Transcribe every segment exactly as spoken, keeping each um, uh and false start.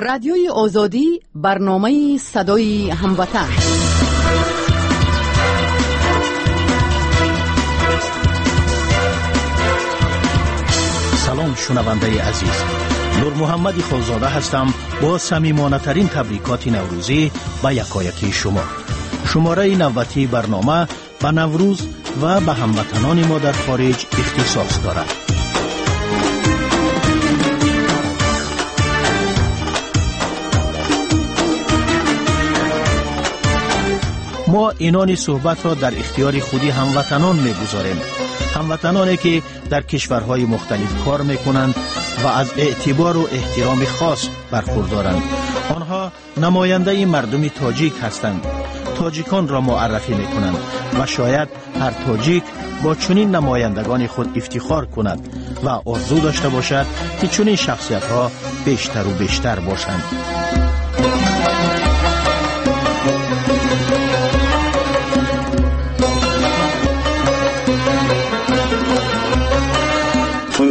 Радиои Озодӣ, барномаи садои ҳамватан. Салом, шунавандаи азиз. Нурмуҳаммад Холзода ҳастам бо самимонатарин табрикоти наврӯзӣ ба якоякии шумо. Шумораи навбатии барнома ба Наврӯз ва ба ҳамватанони мо дар хориҷ ихтисос дорад. Мо инони суҳбатро дар ихтиёри худи ҳамватанон мегузорем. Ҳамватаноне ки дар кишварҳои мухталиф кор мекунанд ва аз эътибору эҳтироми хос бархурдоранд. Онҳо намояндаи мардуми тоҷик ҳастанд. Тоҷиконро муаррафӣ мекунанд ва шояд ҳар тоҷик бо чунин намояндагони худ ифтихор кунад ва орзу дошта бошад, ки чунин шахсиятҳо бештару бештар бошанд.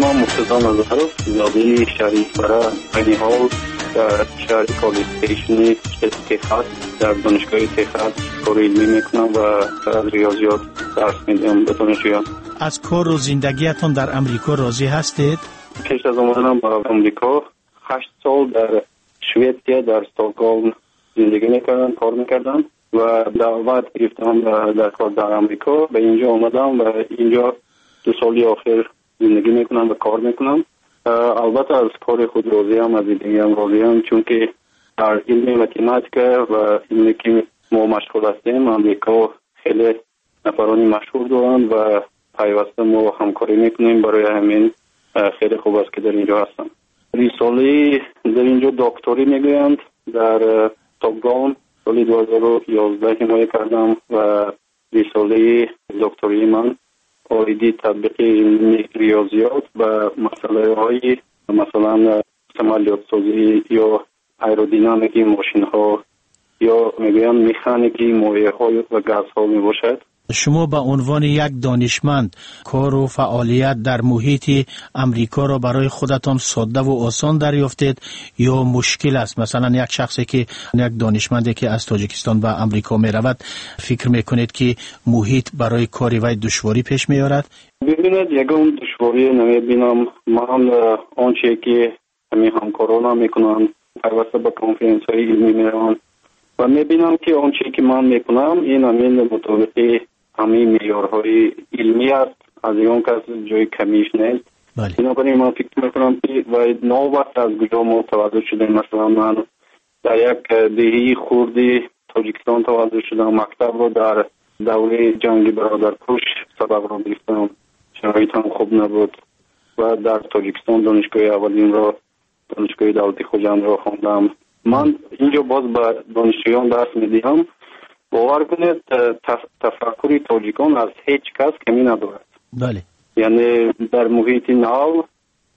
Ман Муртазо Назаров, зодаи шаҳри Исфара, айни ҳол дар шаҳри Коллеҷ Стейшни штати Техас дар донишгоҳи Техас кори илмӣ мекунам ва аз риёзиёт дарс медиҳам ба донишҷӯён. Аз кору зиндагиятон дар Амрико розӣ ҳастед? Пеш аз омаданам ба Амрико ҳашт сол дар Шветсия, дар Стокгольм зиндагӣ мекардам, кор мекардам ва даъват гирифтам дар кор дар Амрико. Ба инҷо омадам ва инҷо ду соли охир зиндагӣ мекунам ва кор мекунам. Албатта аз кори худ розиам, аз зиндагиам розиам, чунки дар илми математика ва илме ки мо машғул ҳастем, Амрико хеле нафарони машҳур доранд ва пайваста мо ҳамкорӣ мекунем. Барои ҳамин хеле хуб аст ки дар инҷо ҳастам. Рисолаи дар инҷо докторӣ мегӯянд, дар Стокгольм соли ду ҳазору ёздаҳ ҳимоя кардам ва рисолаи доктории ман оиди татбиқи илми риёзиёт ба масъалаҳои масалан самолётсозӣ ё аэродинамики мошинҳо ё мегӯянд механики моеъҳо ва газҳо мебошад. Шумо ба унвони як донишманд кору фаъолият дар муҳити Амрикоро барои худатон содда ва осон дарёфтед ё мушкил аст? Масалан, як шахсе ки як донишманде ки аз Тоҷикистон ба Амрико меравад, фикр мекунед ки муҳит барои кори вай душворӣ пеш меорад? Бибинед, ягон душворӣ намебинам. Ман онче ки ҳамин ҳамкоронам мекунанд, пайваста ба конференсияҳои илмӣ мераванд ва мебинам ки онче ки ман мекунам, ин ҳамин мутобиқи ҳамаи меъёрҳои илмӣ аст, аз ягон кас ҷои камиш нест. Бинобар ин ман фикр мекунам ки вай новобаста аз куҷо мо таваллуд шудем, масалан ман дар як деҳаи хурди Тоҷикистон таваллуд шудам, мактабро дар давраи ҷанги бародаркуш сабабро гирифтам, шароитам хуб набуд ва дар Тоҷикистон донишгоҳи аввалинро, донишгоҳи давлати Хуҷандро хондам. Ман инҷо боз ба донишҷӯён дарс медиҳам. Бовар кунед, тафаккури тоҷикон аз ҳеҷ кас камӣ надорад. Бале. Яъне дар муҳити нав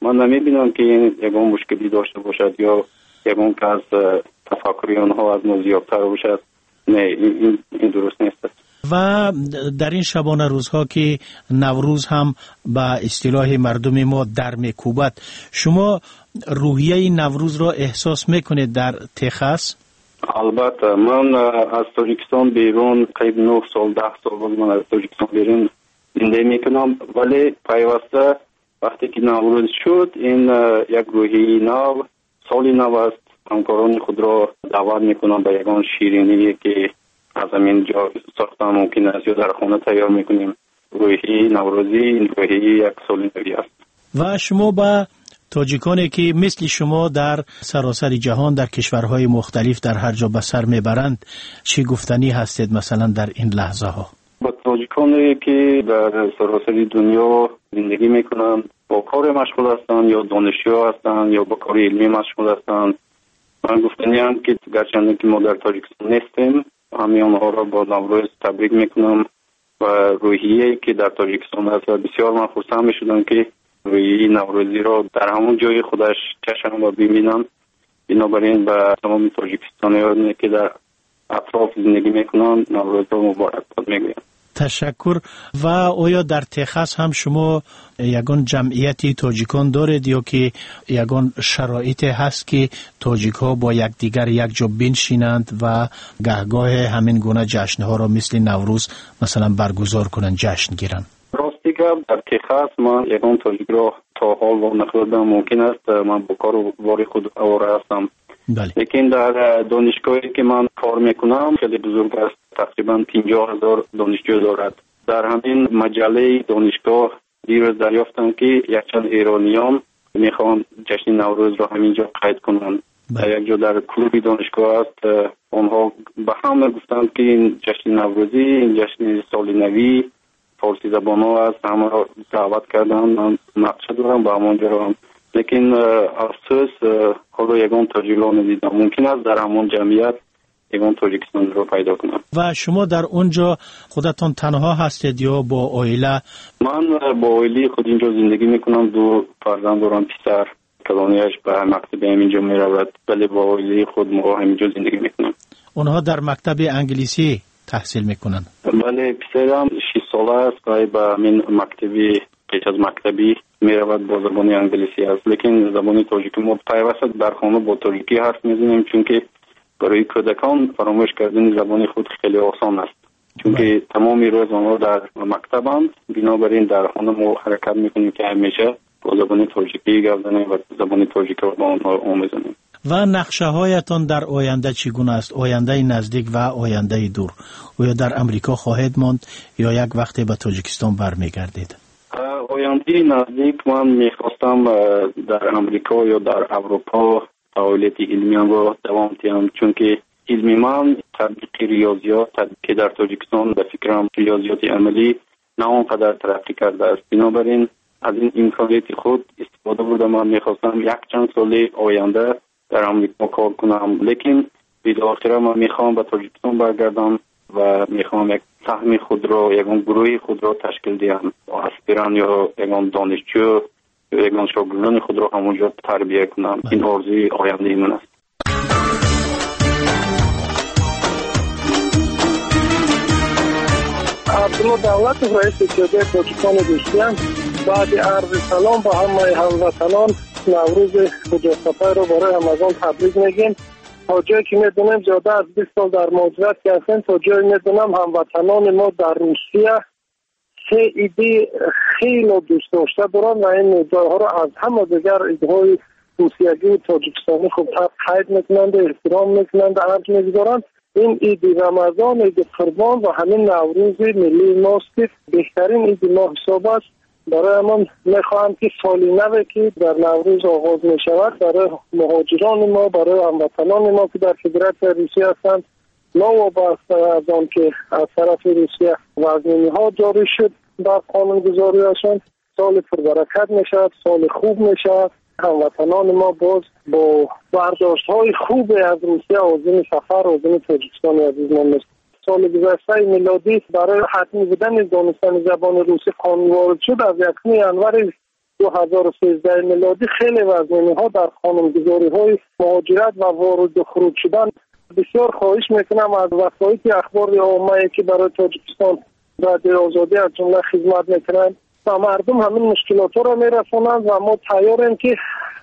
ман намебинам ки ягон мушкилӣ дошта бошад ё ягон кас тафаккури онҳо аз мо зиёдтар бошад. Не, ин, ин дуруст нест. Ва дар ин шабона рӯзҳо ки Наврӯз ҳам ба истилоҳи мардуми мо дар мекӯбад, шумо рӯҳияи Наврӯзро эҳсос мекунед дар Техас? Албатта, ман аз Тоҷикистон берун қариб нӯҳ сол, даҳ сол боз ман аз Тоҷикистон берун зиндагӣ мекунам, вале пайваста вақте ки Наврӯз шуд, ин як рӯҳияи нав, соли нав аст. Ҳамкорони худро даъват мекунам ба ягон шириние ки аз ҳамин ҷо сохтан мумкин аст ё дар хона тайёр мекунем. Рӯҳияи наврӯзӣ ин рӯҳияи як соли навӣ аст. Ва шумо ба тоҷиконе ки мисли шумо дар саросари ҷаҳон, дар кишварҳои мухталиф, дар ҳар ҷо ба сар мебаранд, чӣ гуфтанӣ ҳастед масалан дар ин лаҳзаҳо? Ба тоҷиконе ки дар саросари дунё зиндагӣ мекунанд, бо кор машғул ҳастанд ё донишҷӯ ҳастанд ё ба кори илмӣ машғул ҳастанд, ман гуфтаниам ки гарчанде ки мо дар Тоҷикистон нестем, ҳамаи онҳоро бо Наврӯз табрик мекунам ва рӯҳияе ки дар Тоҷикистон аст ва бисёр ман хурсанд мешудам ки рӯҳияи наврӯзиро дар ҳамон ҷои худаш чашам ва бибинам. Бинобар ин ба тамоми тоҷикистониёне ки дар атроф зиндагӣ мекунанд, Наврӯзро муборакбод мегӯям. Ташаккур. Ва оё дар Техас ҳам шумо ягон ҷамъияти тоҷикон доред ё ки ягон шароите ҳаст, ки тоҷикҳо бо якдигар якҷо биншинанд ва гаҳгоҳе ҳамин гуна ҷашнҳоро мисли Наврӯз масалан баргузор кунанд, ҷашн гиранд? Рости гап, дар Техас ман ягон тоҷикро то ҳол вонахӯрдам. Мумкин аст ман бо кору бори худ овора ҳастам. Лекин дар донишгоҳе ки ман кор мекунам хеле бузург аст, тақрибан панҷоҳ ҳазор донишҷӯ дорад. Дар ҳамин маҷаллаи донишгоҳ дирӯз дарёфтам, ки якчанд эрониён мехоҳанд ҷашни Наврӯзро ҳамин ҷо қайд кунанд. Як ҷо дар клуби донишгоҳ аст. Онҳо ба ҳама гуфтанд, ки ин ҷашни Наврӯзӣ, ин ҷашни соли навӣ форсизабонҳо аст. Ҳамаро даъват карданд. Ман нақша дорам ба ҳамон ҷо равам. Лекин афсӯс, ҳоло ягон тоҷикро надидам. Мумкин аст дар ҳамон ҷамъият ягон тоҷикистонро пайдо кунам. Ва шумо дар он ҷо худатон танҳо ҳастед ё бо оила? Ман бо оилаи худ инҷо зиндагӣ мекунам. Ду фарзанд дорам, писар калонияш ба мактаби ҳаминҷо меравад, вале бо оилаи худ мо ҳаминҷо зиндагӣ мекунем. Онҳо дар мактаби англисӣ таҳсил мекунанд? Бале, писарам шиш сола аст ва ба ҳамин мактаби пеш аз мактабӣ меравад, бо забони англисӣ аст. Лекин забони тоҷикӣ мо пайваста дар хона бо тоҷикӣ ҳарф мезанем, чунки барои кӯдакон фаромӯш кардани забони худ хеле осон аст, чунки тамоми рӯз онҳо дар мактабанд. Бинобар ин дар хона мо ҳаракат мекунем, ки ҳамеша бо забони тоҷикӣ гап занем ва забони тоҷикиро ба онҳо омӯзонем. Ва нақшаҳоятон дар оянда чӣ гуна аст? Ояндаи наздик ва ояндаи дур. Оё дар Амрико хоҳед монд ё як вақте ба Тоҷикистон бармегардед? Ояндаи наздик ман мехостам дар Амрико ё дар Аврупо фаъолияти илмиямро давом диҳам, чунки илми ман татбиқи риёзиёт, ки дар Тоҷикистон ба фикрам риёзиёти амалӣ на он қадар тараққӣ кардааст. Бинобар ин аз ин имконияти худ истифода бурда ман мехостам якчанд соли оянда дар Амрико кор кунам. Лекин билохира ман мехоҳам ба Тоҷикистон баргардам ва мехоҳам як саҳми худро, ягон гурӯҳи худро ташкил диҳам, аспирант ё ягон донишҷӯ ё ягон шогирдони худро ҳамонҷо тарбия кунам. Ин орзуи ояндаи ман аст. Абдулло Давлатов, раиси иттиҳодияи тоҷикони Русия, баъди арзи салом ба ҳамаи ҳамватанон Наврӯзи хуҷастапайро барои ҳамагон табрик мегӯем. То ҷое ки медонем, зиёда аз бист сол дар муҳоҷират ки ҳастем, то ҷое медонам ҳамватанони мо дар Русия се иди хеле дӯст дошта доранд ва ин идҳоро аз ҳама дигар идҳои русиягию тоҷикистонӣ хубтар қайд мекунанд, эҳтиром мекунанд, арҷ мегузоранд. Ин иди Рамазон, иди Қурбон ва ҳамин Наврӯзи миллии мост, ки беҳтарин иди мо ҳисоб аст. Барои ҳамон мехоҳам, ки соли наве ки дар Наврӯз оғоз мешавад, барои муҳоҷирони мо, барои ҳамватанони мо, ки дар Федератсияи Русия ҳастанд, новобаста аз он ки аз тарафи Русия вазниниҳо ҷорӣ шуд бар қонунгузориашон, соли пурбаракат мешавад, соли хуб мешавад. Ҳамватанони мо боз бо бардоштҳои хубе аз Русия озими сафар, озими Тоҷикистони азизмон мешавад. Соли гузаштаи милодӣ барои ҳатмӣ будани донистани забони русӣ қонун ворид шуд. Аз якуми январи ду ҳазору сездаҳ милодӣ хеле вазниниҳо дар қонунгузориҳои муҳоҷират ва вориду хуруҷ шудан. Бисёр хоҳиш мекунам аз васоити ахбори оммае, ки барои Тоҷикистон радиои Озодӣ аз ҷумла хизмат мекунанд, ба мардум ҳамин мушкилотҳоро мерасонанд ва мо тайёрем, ки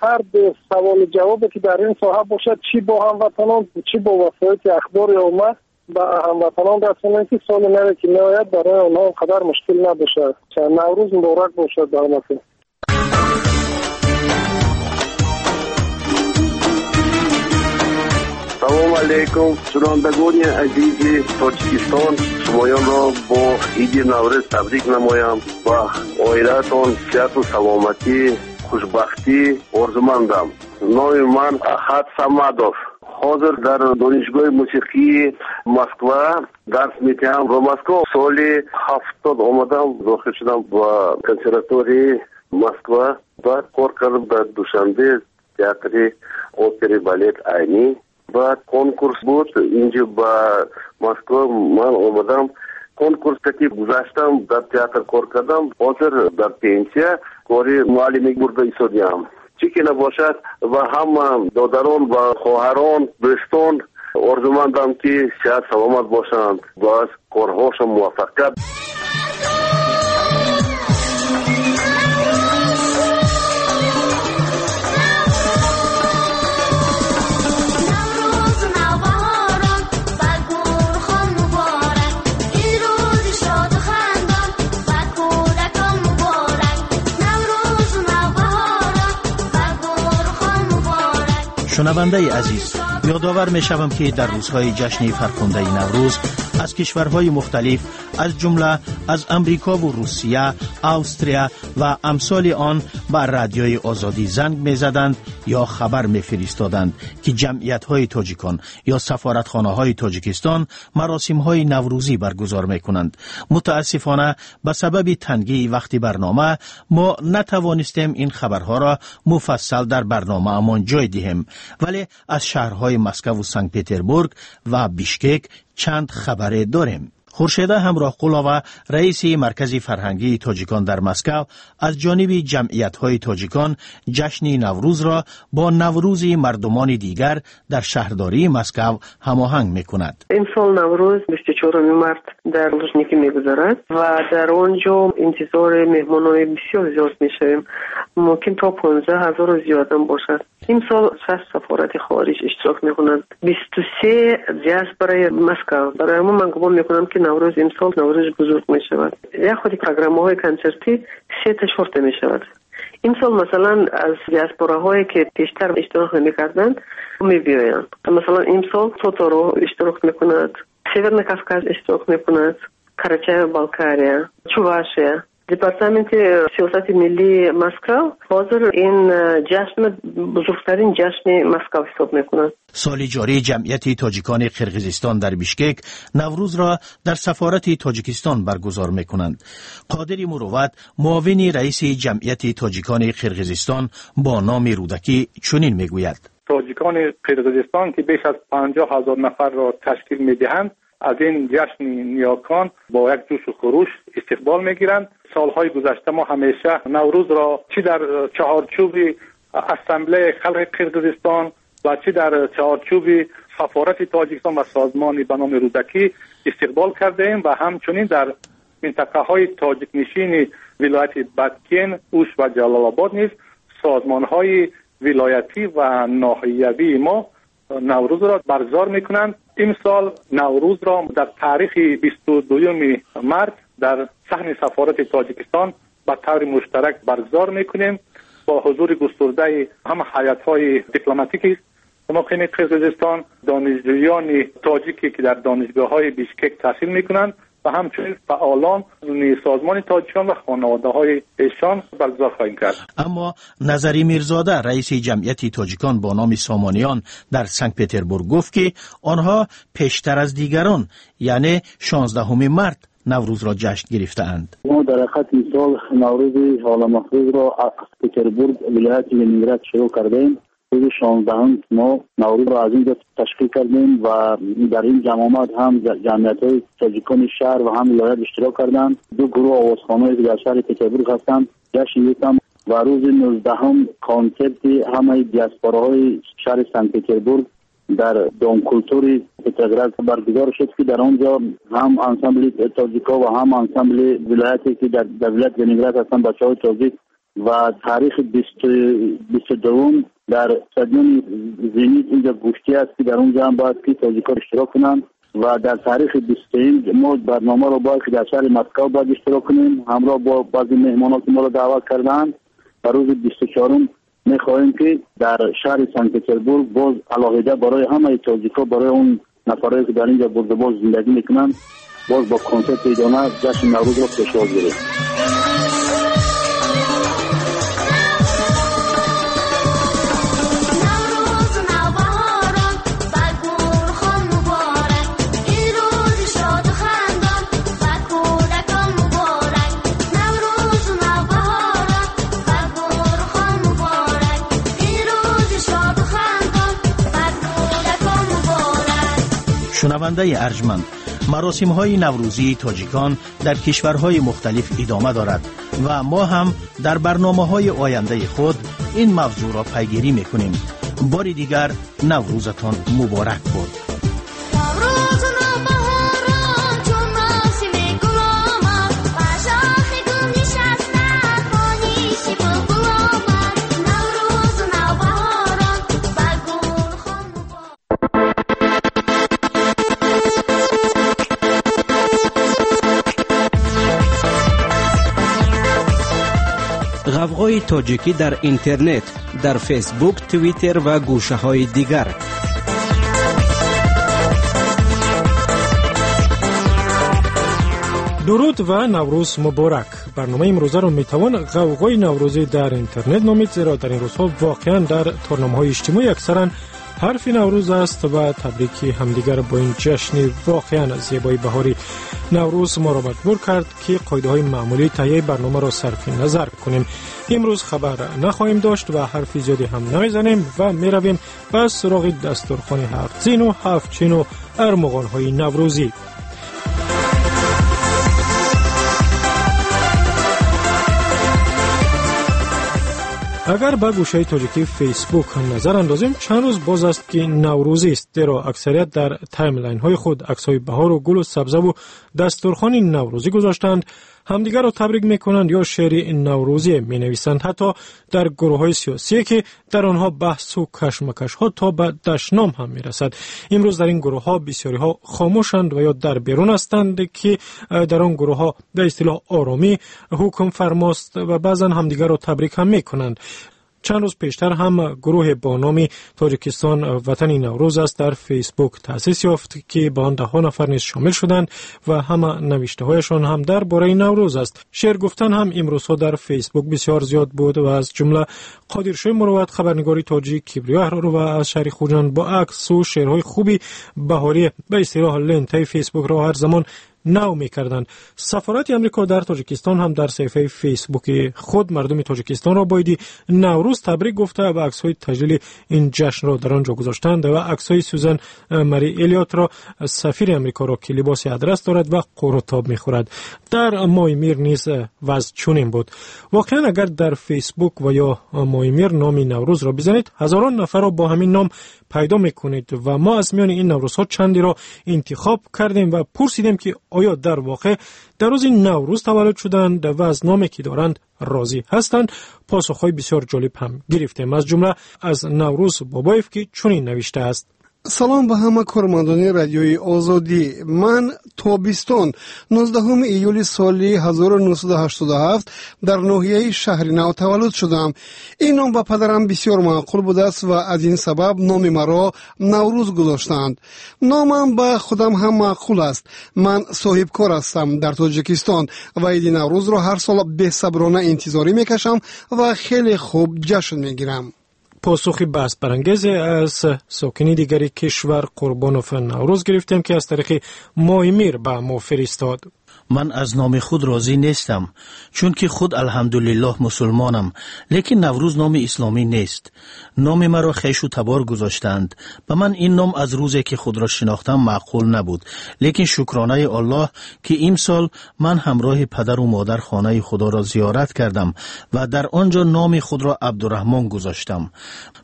ҳар саволу ҷавобе ки дар ин соҳа бошад, чӣ бо ҳамватанон, чӣ бо васоити ахбори омма ба ҳамватанон расонем, ки соли наве ки меояд барои онҳо он қадар мушкил набошад. Наврӯз муборак бошад ба ҳаматон. Салом алейкум, шунавандагони азизи Тоҷикистон. Шумоёнро бо иди Наврӯз табрик намоям ва оилаатон сиҳату саломатӣ, хушбахтӣ орзумандам. Номи ман Аҳад Самадов. Ҳозир дар донишгоҳи мусиқии Москва дарс медиҳам. Ба Москва соли ҳафтод омадам, дохил шудам ба консерваторияи Москва. Баъд кор кардам дар Душанбе, театри опери балет Айнӣ. Баъд конкурс буд инҷо ба Москва ман омадам. Конкурс ки гузаштам, дар театр кор кардам. Ҳозир дар пенсия кори муаллимӣ бурда истодиам. Чӣ ки набошад, ба ҳама додарон ва хоҳарон, дӯстон орзумандам, ки сиҳат саломат бошанд ва аз корҳошон муваффақият. Шунавандаи азиз, ёдовар мешавам, ки дар рӯзҳои ҷашни фархундаи Наврӯз аз кишварҳои мухталиф, аз ҷумла аз Амрикову Русия, Австрия ва амсоли он ба Радиои Озодӣ занг мезаданд ё хабар мефиристоданд, ки ҷамъиятҳои тоҷикон ё сафоратхонаҳои Тоҷикистон маросимҳои наврӯзӣ баргузор мекунанд. Мутаассифона, ба сабаби тангии вақти барнома мо натавонистем ин хабарҳоро муфассал дар барномаамон ҷой диҳем, вале аз шаҳрҳои Москаву Санкт-Петербург ва Бишкек чанд хабаре дорем. Хуршеда Ҳамроҳқулова, раиси Маркази фарҳангии тоҷикон дар Москав, аз ҷониби ҷамъиятҳои тоҷикон ҷашни Наврӯзро бо Наврӯзи мардумони дигар дар шаҳрдории Москав ҳамоҳанг мекунад. Имсол Наврӯз бисту чоруми март дар Лужники мегузарад ва дар он ҷо интизори меҳмонони бисёр зиёд мешавем. Мумкин то понздаҳ ҳазору зиёдам бошад. Имсол шаш сафорати хориҷ иштирок мекунанд, бисту се диаспораи Москав. Барои ҳамон ман гумон мекунам, ки Наврӯз имсол Наврӯзи бузург мешавад. Як худи программаҳои консертӣ сета чорта мешавад. Имсол масалан аз диаспораҳое, ки пештар иштирок намекарданд, мебиёянд. Масалан, имсол Тоторо иштирок мекунад, Северный Кавказ иштирок мекунад, Карачаево-Балкария, Чувашия. Департаменти сиёсати миллии Москав ҳозир ин ҷашн бузургтарин ҷашни Москав ҳисоб мекунад. Соли ҷорӣ ҷамъияти тоҷикони Қирғизистон дар Бишкек Наврӯзро дар сафорати Тоҷикистон баргузор мекунанд. Қодири Мурувват, муовини раиси ҷамъияти тоҷикони Қирғизистон бо номи Рӯдакӣ, чунин мегӯяд: Тоҷикони Қирғизистон, ки беш аз панҷоҳ ҳазор нафарро ташкил медиҳанд, аз ин ҷашни ниёкон бо як ҷӯшу хуруш истиқбол мегиранд. Солҳои гузашта мо ҳамеша Наврӯзро чӣ дар чаҳорчӯби Ассамблеяи халқи Қирғизистон ва чӣ дар чаҳорчӯби сафорати Тоҷикистон ва созмони ба номи Рӯдакӣ истиқбол кардаем ва ҳамчунин дар минтақаҳои тоҷикнишини вилояти Баткен, Уш ва Ҷалолобод низ созмонҳои вилоятӣ ва ноҳиявии мо Наврӯзро баргузор мекунанд. Имсол Наврӯзро дар таърихи бисту дуюми март дар саҳни сафорати Тоҷикистон ба таври муштарак баргузор мекунем бо ҳузури густурдаи ҳама ҳайатҳои дипломатики муқими Қирғизистон, донишҷӯёни тоҷике, ки дар донишгоҳҳои Бишкек таҳсил мекунанд ва ҳамчунин фаъолон созмони тоҷикон ва хонаводаҳои эшон баргузор хоҳем кард. Аммо Назари Мирзода, раиси ҷамъияти тоҷикон бо номи Сомониён дар Санкт-Петербург, гуфт, ки онҳо пештар аз дигарон, яъне шонздаҳуми март, Наврӯзро ҷашн гирифтаанд. Мо дар ҳақиқат имсол Наврӯзи оламафрӯзро аз Петербург, вилояти Ленинград шурӯъ кардаем. Рӯзи шонздаҳум мо Наврӯзро аз инҷо ташкил кардем ва дар ин ҷамъомад ҳам ҷамъиятҳои тоҷикони шаҳр ва ҳам вилоят иштирок карданд. Ду гурӯҳ овозхонаҳое, ки дар шаҳри Петербург ҳастанд, ҷашн гирифтанд ва рӯзи нуздаҳум консерти ҳамаи диаспораҳои шаҳри Санкт-Петербург дар Домкультури Петроград баргузор шуд, ки дар он ҷо ҳам ансамбли тоҷикҳо ва ҳам ансамбли вилояте, ки дар вилояти Ленинград ҳастанд, бачаҳои тоҷик, ва таърихи бисту дуввум дар стадиони Зенит инҷо гӯштӣ аст, ки дар он ҷо ҳам бояд ки тоҷикҳо иштирок кунанд ва дар таърихи бисту сеюм мо барномаро бояд ки дар шаҳри Москав бояд иштирок кунем ҳамроҳ бо баъзе меҳмонот, ки моро даъват кардаанд. Ва рӯзи бисту чорум мехоҳем, ки дар шаҳри Санкт-Петербург боз алоҳида барои ҳамаи тоҷикҳо, барои он нафарое, ки дар инҷо бурдубоз зиндагӣ мекунанд, боз бо консерти идона ҷашни Наврӯзро пешвоз гирем. Шунавандаи арҷманд, маросимҳои наврӯзии тоҷикон дар кишварҳои мухталиф идома дорад ва мо ҳам дар барномаҳои ояндаи худ ин мавзӯъро пайгирӣ мекунем. Бори дигар Наврӯзатон муборак бод. Ғавғои Ғавғои тоҷикӣ дар интернет, дар Фейсбук, Твиттер ва гӯшаҳои дигар. Дуруд ва Наврӯз муборак. Барномаи имрӯзаро метавон ғавғои наврӯзӣ дар интернет номид, зеро дар ин рӯзҳо воқеан дар торномаҳои иҷтимоӣ аксаран ҳарфи Наврӯз аст ва табрики ҳамдигар бо ин ҷашни воқеан зебои баҳорӣ. Наврӯз моро маҷбур кард, ки қоидаҳои маъмулии таҳияи барномаро сарфи назар кунем. Имрӯз хабар нахоҳем дошт ва ҳарфи зиёде ҳам намезанем ва меравем ба суроғи дастурхони ҳафтзину ҳафтчину армуғонҳои наврӯзӣ. Агар ба гӯшаи тоҷикии Фейсбук назар андозем, чанд рӯз боз аст, ки наврӯзист, зеро аксарият дар таймлайнҳои худ аксҳои баҳору гулу сабзаву дастурхони наврӯзӣ гузоштаанд, ҳамдигарро табрик мекунанд ё шеъри наврӯзӣ менависанд. Ҳатто дар гурӯҳҳои сиёсие, ки дар онҳо баҳсу кашмакашҳо то ба дашном ҳам мерасад. Имрӯз дар ин гурӯҳҳо бисёриҳо хомӯшанд ва ё дар берун ҳастанд, ки дар он гурӯҳҳо ба истилоҳ оромӣ ҳукм фармост ва баъзан ҳамдигарро табрик ҳам мекунанд. Чанд рӯз пештар ҳам гурӯҳе бо номи Тоҷикистон ватани Наврӯз аст дар Фейсбук таъсис ёфт, ки ба он даҳҳо нафар низ шомил шуданд ва ҳама навиштаҳояшон ҳам дар бораи Наврӯз аст. Шеър гуфтан ҳам имрӯзҳо дар Фейсбук бисёр зиёд буд ва аз ҷумла Қодиршоҳи Мурувват, хабарнигори тоҷик, Кибриё Аҳророва аз шаҳри Хуҷанд бо аксу шеърҳои хуби баҳорӣ ба истилоҳ лентаи Фейсбукро ҳар замон нав мекарданд. Сафорати Амрико дар Тоҷикистон ҳам дар саҳифаи Фейсбуки худ мардуми Тоҷикистонро бо иди Наврӯз табрик гуфта ва аксҳои таҷлили ин ҷашнро дар он ҷо гузоштанд ва аксҳои Сюзан Мари Элиотро, сафири Амрикоро, ки либоси адрас дорад ва қурутоб мехӯрад. Дар моҳи мир низ вазъ чунин буд. Воқеан агар дар Фейсбук ва ё моҳи мир номи Наврӯзро бизанед, ҳазорон нафарро бо ҳамин ном пайдо мекунед ва мо аз миёни ин наврӯзҳо чандеро интихоб кардем ва пурсидем, ки оё дар воқеъ дар рӯзи Наврӯз таваллуд шуданд ва аз номе ки доранд розӣ ҳастанд. Посухҳои бисёр ҷолиб ҳам гирифтем, аз ҷумла аз Наврӯз Бобоев, ки чунин навиштааст: Салом ба ҳама кормандони радиои Озодӣ. Ман тобистон нуздаҳуми июли соли ҳазору нӯҳсаду ҳаштоду ҳафт дар ноҳияи шаҳри Нав таваллуд шудам. Ин ном ба падарам бисёр маъқул будааст ва аз ин сабаб номи маро Наврӯз гузоштанд. Номам ба худам ҳам маъқул аст. Ман соҳибкор ҳастам дар Тоҷикистон ва иди Наврӯзро ҳар сол бесаброна интизорӣ мекашам ва хеле хуб ҷашн мегирам. Посухи баҳсбарангезе аз сокини дигари кишвар Қурбонов Наврӯз гирифтем, ки аз тариқи моҳи мир ба мо фиристод. Ман аз номи худ розӣ нестам, чунки худ алҳамдулиллоҳ мусулмонам, лекин Наврӯз номи исломӣ нест. Номи маро хешу табор гузоштаанд. Ба ман ин ном аз рӯзе ки худро шинохтам маъқул набуд, лекин шукронаи Аллоҳ, ки имсол ман ҳамроҳи падару модар хонаи худоро зиёрат кардам ва дар он ҷо номи худро Абдураҳмон гузоштам.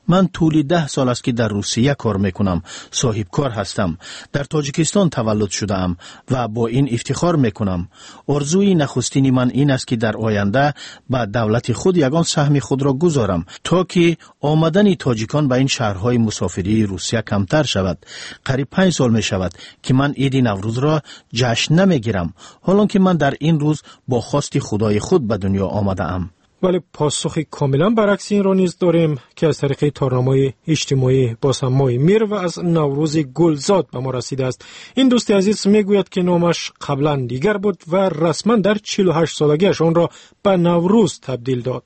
Ман тӯли даҳ сол аст, ки дар Русия кор мекунам, соҳибкор ҳастам. Дар Тоҷикистон таваллуд шудаам ва бо ин ифтихор мекунам. Орзуи нахустини ман ин аст, ки дар оянда ба давлати худ ягон саҳми худро гузорам, то ки омадани тоҷикон ба ин шаҳрҳои мусофирии Русия камтар шавад. Қариб панҷ сол мешавад, ки ман иди Наврӯзро ҷашн намегирам, ҳолон ки ман дар ин рӯз бо хости худои худ ба дунё омадаам. Вале посухи комилан баръакси инро низ дорем, ки аз тариқи торнамои иҷтимоӣ боз ҳам моҳи мир ва аз Наврӯзи Гулзод ба мо расидааст. Ин дӯсти азиз мегӯяд, ки номаш қаблан дигар буд ва расман дар чилу ҳашт солагиаш онро ба Наврӯз табдил дод.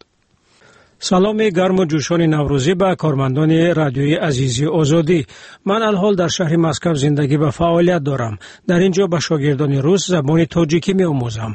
Саломи гарму ҷӯшони наврӯзӣ ба кормандони радиои азизи Озодӣ. Ман алҳол дар шаҳри Москав зиндагӣ ва фаъолият дорам. Дар ин ҷо ба шогирдони рус забони тоҷикӣ меомӯзам.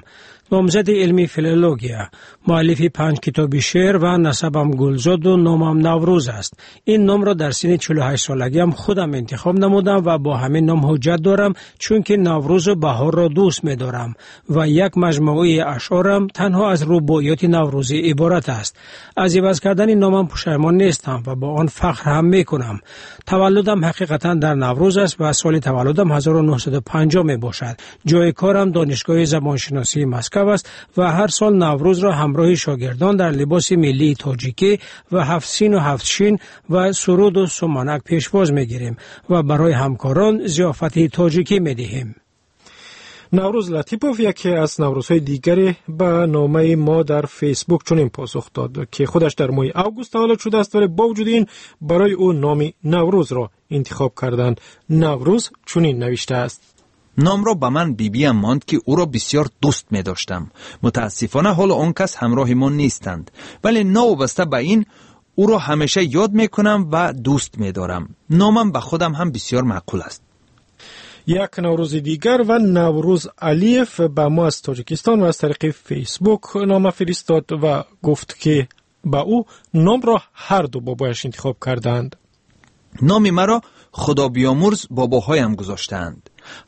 Номзади илми филология, муаллифи панҷ китоби шеър ва насабам Гулзоду номам Наврӯз аст. Ин номро дар синни чилу ҳашт солагиам худам интихоб намудам ва бо ҳамин ном ҳуҷҷат дорам, чунки Наврӯзу баҳорро дӯст медорам ва як маҷмӯаи ашъорам танҳо аз рубоиёти наврӯзӣ иборат аст. Аз иваз кардани номам пушаймон нестам ва бо он фахр ҳам мекунам. Таваллудам ҳақиқатан дар Наврӯз аст ва соли таваллудам ҳазору нӯҳсаду панҷоҳ мебошад. Ҷои корам Донишгоҳи забоншиносии Москав аст ва ҳар сол Наврӯзро ҳамроҳи шогирдон дар либоси миллии тоҷикӣ ва ҳафт сину ҳафт шин ва суруду суманак пешвоз мегирем ва барои ҳамкорон зиёфати тоҷикӣ медиҳем. Наврӯз Латипов, яке аз наврӯзҳои дигаре, ба номаи мо дар Фейсбук чунин посух дод, ки худаш дар моҳи август таваллуд шудааст, вале бо вуҷуди ин барои ӯ номи Наврӯзро интихоб карданд. Наврӯз чунин навиштааст: номро ба ман бибиям монд, ки ӯро бисёр дӯст медоштам. Мутаассифона, ҳоло он кас ҳамроҳи мо нестанд, вале новобаста ба ин ӯро ҳамеша ёд мекунам ва дӯст медорам. Номам ба худам ҳам бисёр маъқул аст. Як наврӯзи дигар ва Наврӯз Алиев ба мо аз Тоҷикистон ва аз тариқи Фейсбук нома фиристод ва гуфт, ки ба ӯ номро ҳар ду бобояш интихоб кардаанд. Номи маро худобиёмурз бобоҳоям гузоштаанд,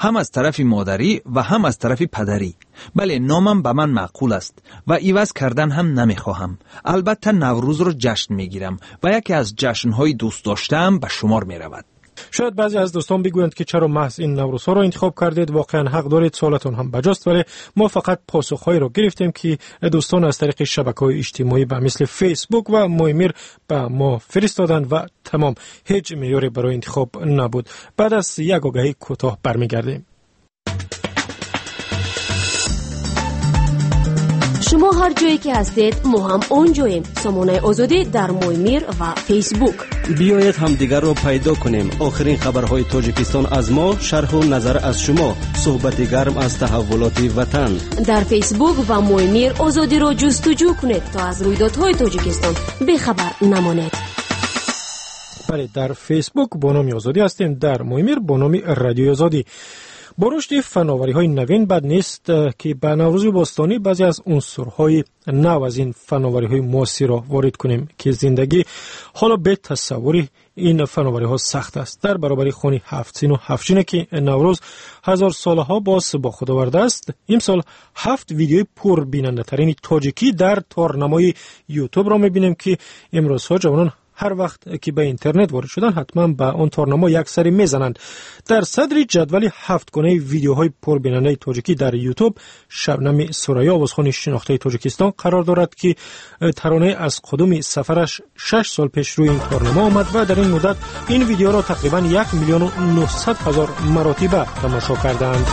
ҳам аз тарафи модарӣ ва ҳам аз тарафи падарӣ. Бале, номам ба ман маъқул аст ва иваз кардан ҳам намехоҳам. Албатта, Наврӯзро ҷашн мегирам ва яке аз ҷашнҳои дӯстдоштаам ба шумор меравад. Шояд баъзе аз дӯстон бигӯянд, ки чаро маҳз ин наврӯзҳоро интихоб кардед. Воқеан ҳақ доред, суолатон ҳам баҷост, вале мо фақат посухҳоеро гирифтем, ки дӯстон аз тариқи шабакаҳои иҷтимоӣ ба мисли Фейсбук ва Моймир ба мо фиристоданд ва тамом. Ҳеҷ меъёре барои интихоб набуд. Баъд аз як огаҳии кӯтоҳ бармегардем. Шумо ҳар ҷое ки ҳастед, мо ҳам он ҷоем. Сомонаи Озодӣ дар Моймир ва Фейсбук. Биёед ҳамдигарро пайдо кунем. Охирин хабарҳои Тоҷикистон аз мо, шарҳу назар аз шумо, суҳбати гарм аз таҳаввулоти ватан. Дар Фейсбук ва Моймир Озодиро ҷустуҷӯ кунед, то аз рӯйдодҳои Тоҷикистон бехабар намонед. Бале, дар Фейсбук бо номи Озодӣ ҳастем, дар Моймир бо номи Радиои Озодӣ. Бо рушди фановариҳои навин бад нест, ки ба наврӯзи бостонӣ баъзе аз унсурҳои нав аз ин фановариҳои муосирро ворид кунем, ки зиндагӣ ҳоло бе тасаввури ин фановариҳо сахт аст. Дар баробари хони ҳафтсину ҳафтшине, ки Наврӯз ҳазорсолаҳо боз бо худ овардааст, имсол ҳафт видеои пурбинандатарини тоҷикӣ дар торнамои Ютубро мебинем, ки имрӯзҳо ҷавонон ҳар вақт ки ба интернет ворид шуданд, ҳатман ба он торнамо як сари мезананд. Дар садри ҷадвали ҳафтгонаи видеоҳои пурбинандаи тоҷикӣ дар Ютуб Шабнами Сурайё, овозхони шинохтаи Тоҷикистон, қарор дорад, ки таронаи аз қудуми сафараш шаш сол пеш рӯи ин торнамо омад ва дар ин муддат ин видеоро тақрибан як миллиону нуҳсад ҳазор маротиба тамошо кардаанд.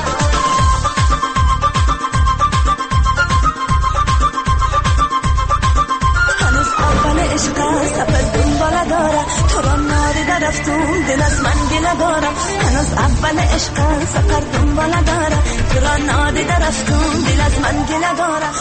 دل از من گله دارم، هنوز اول عشق سفر دنباله دارم، تو را نادیده رفتم، دل از من گله دارم.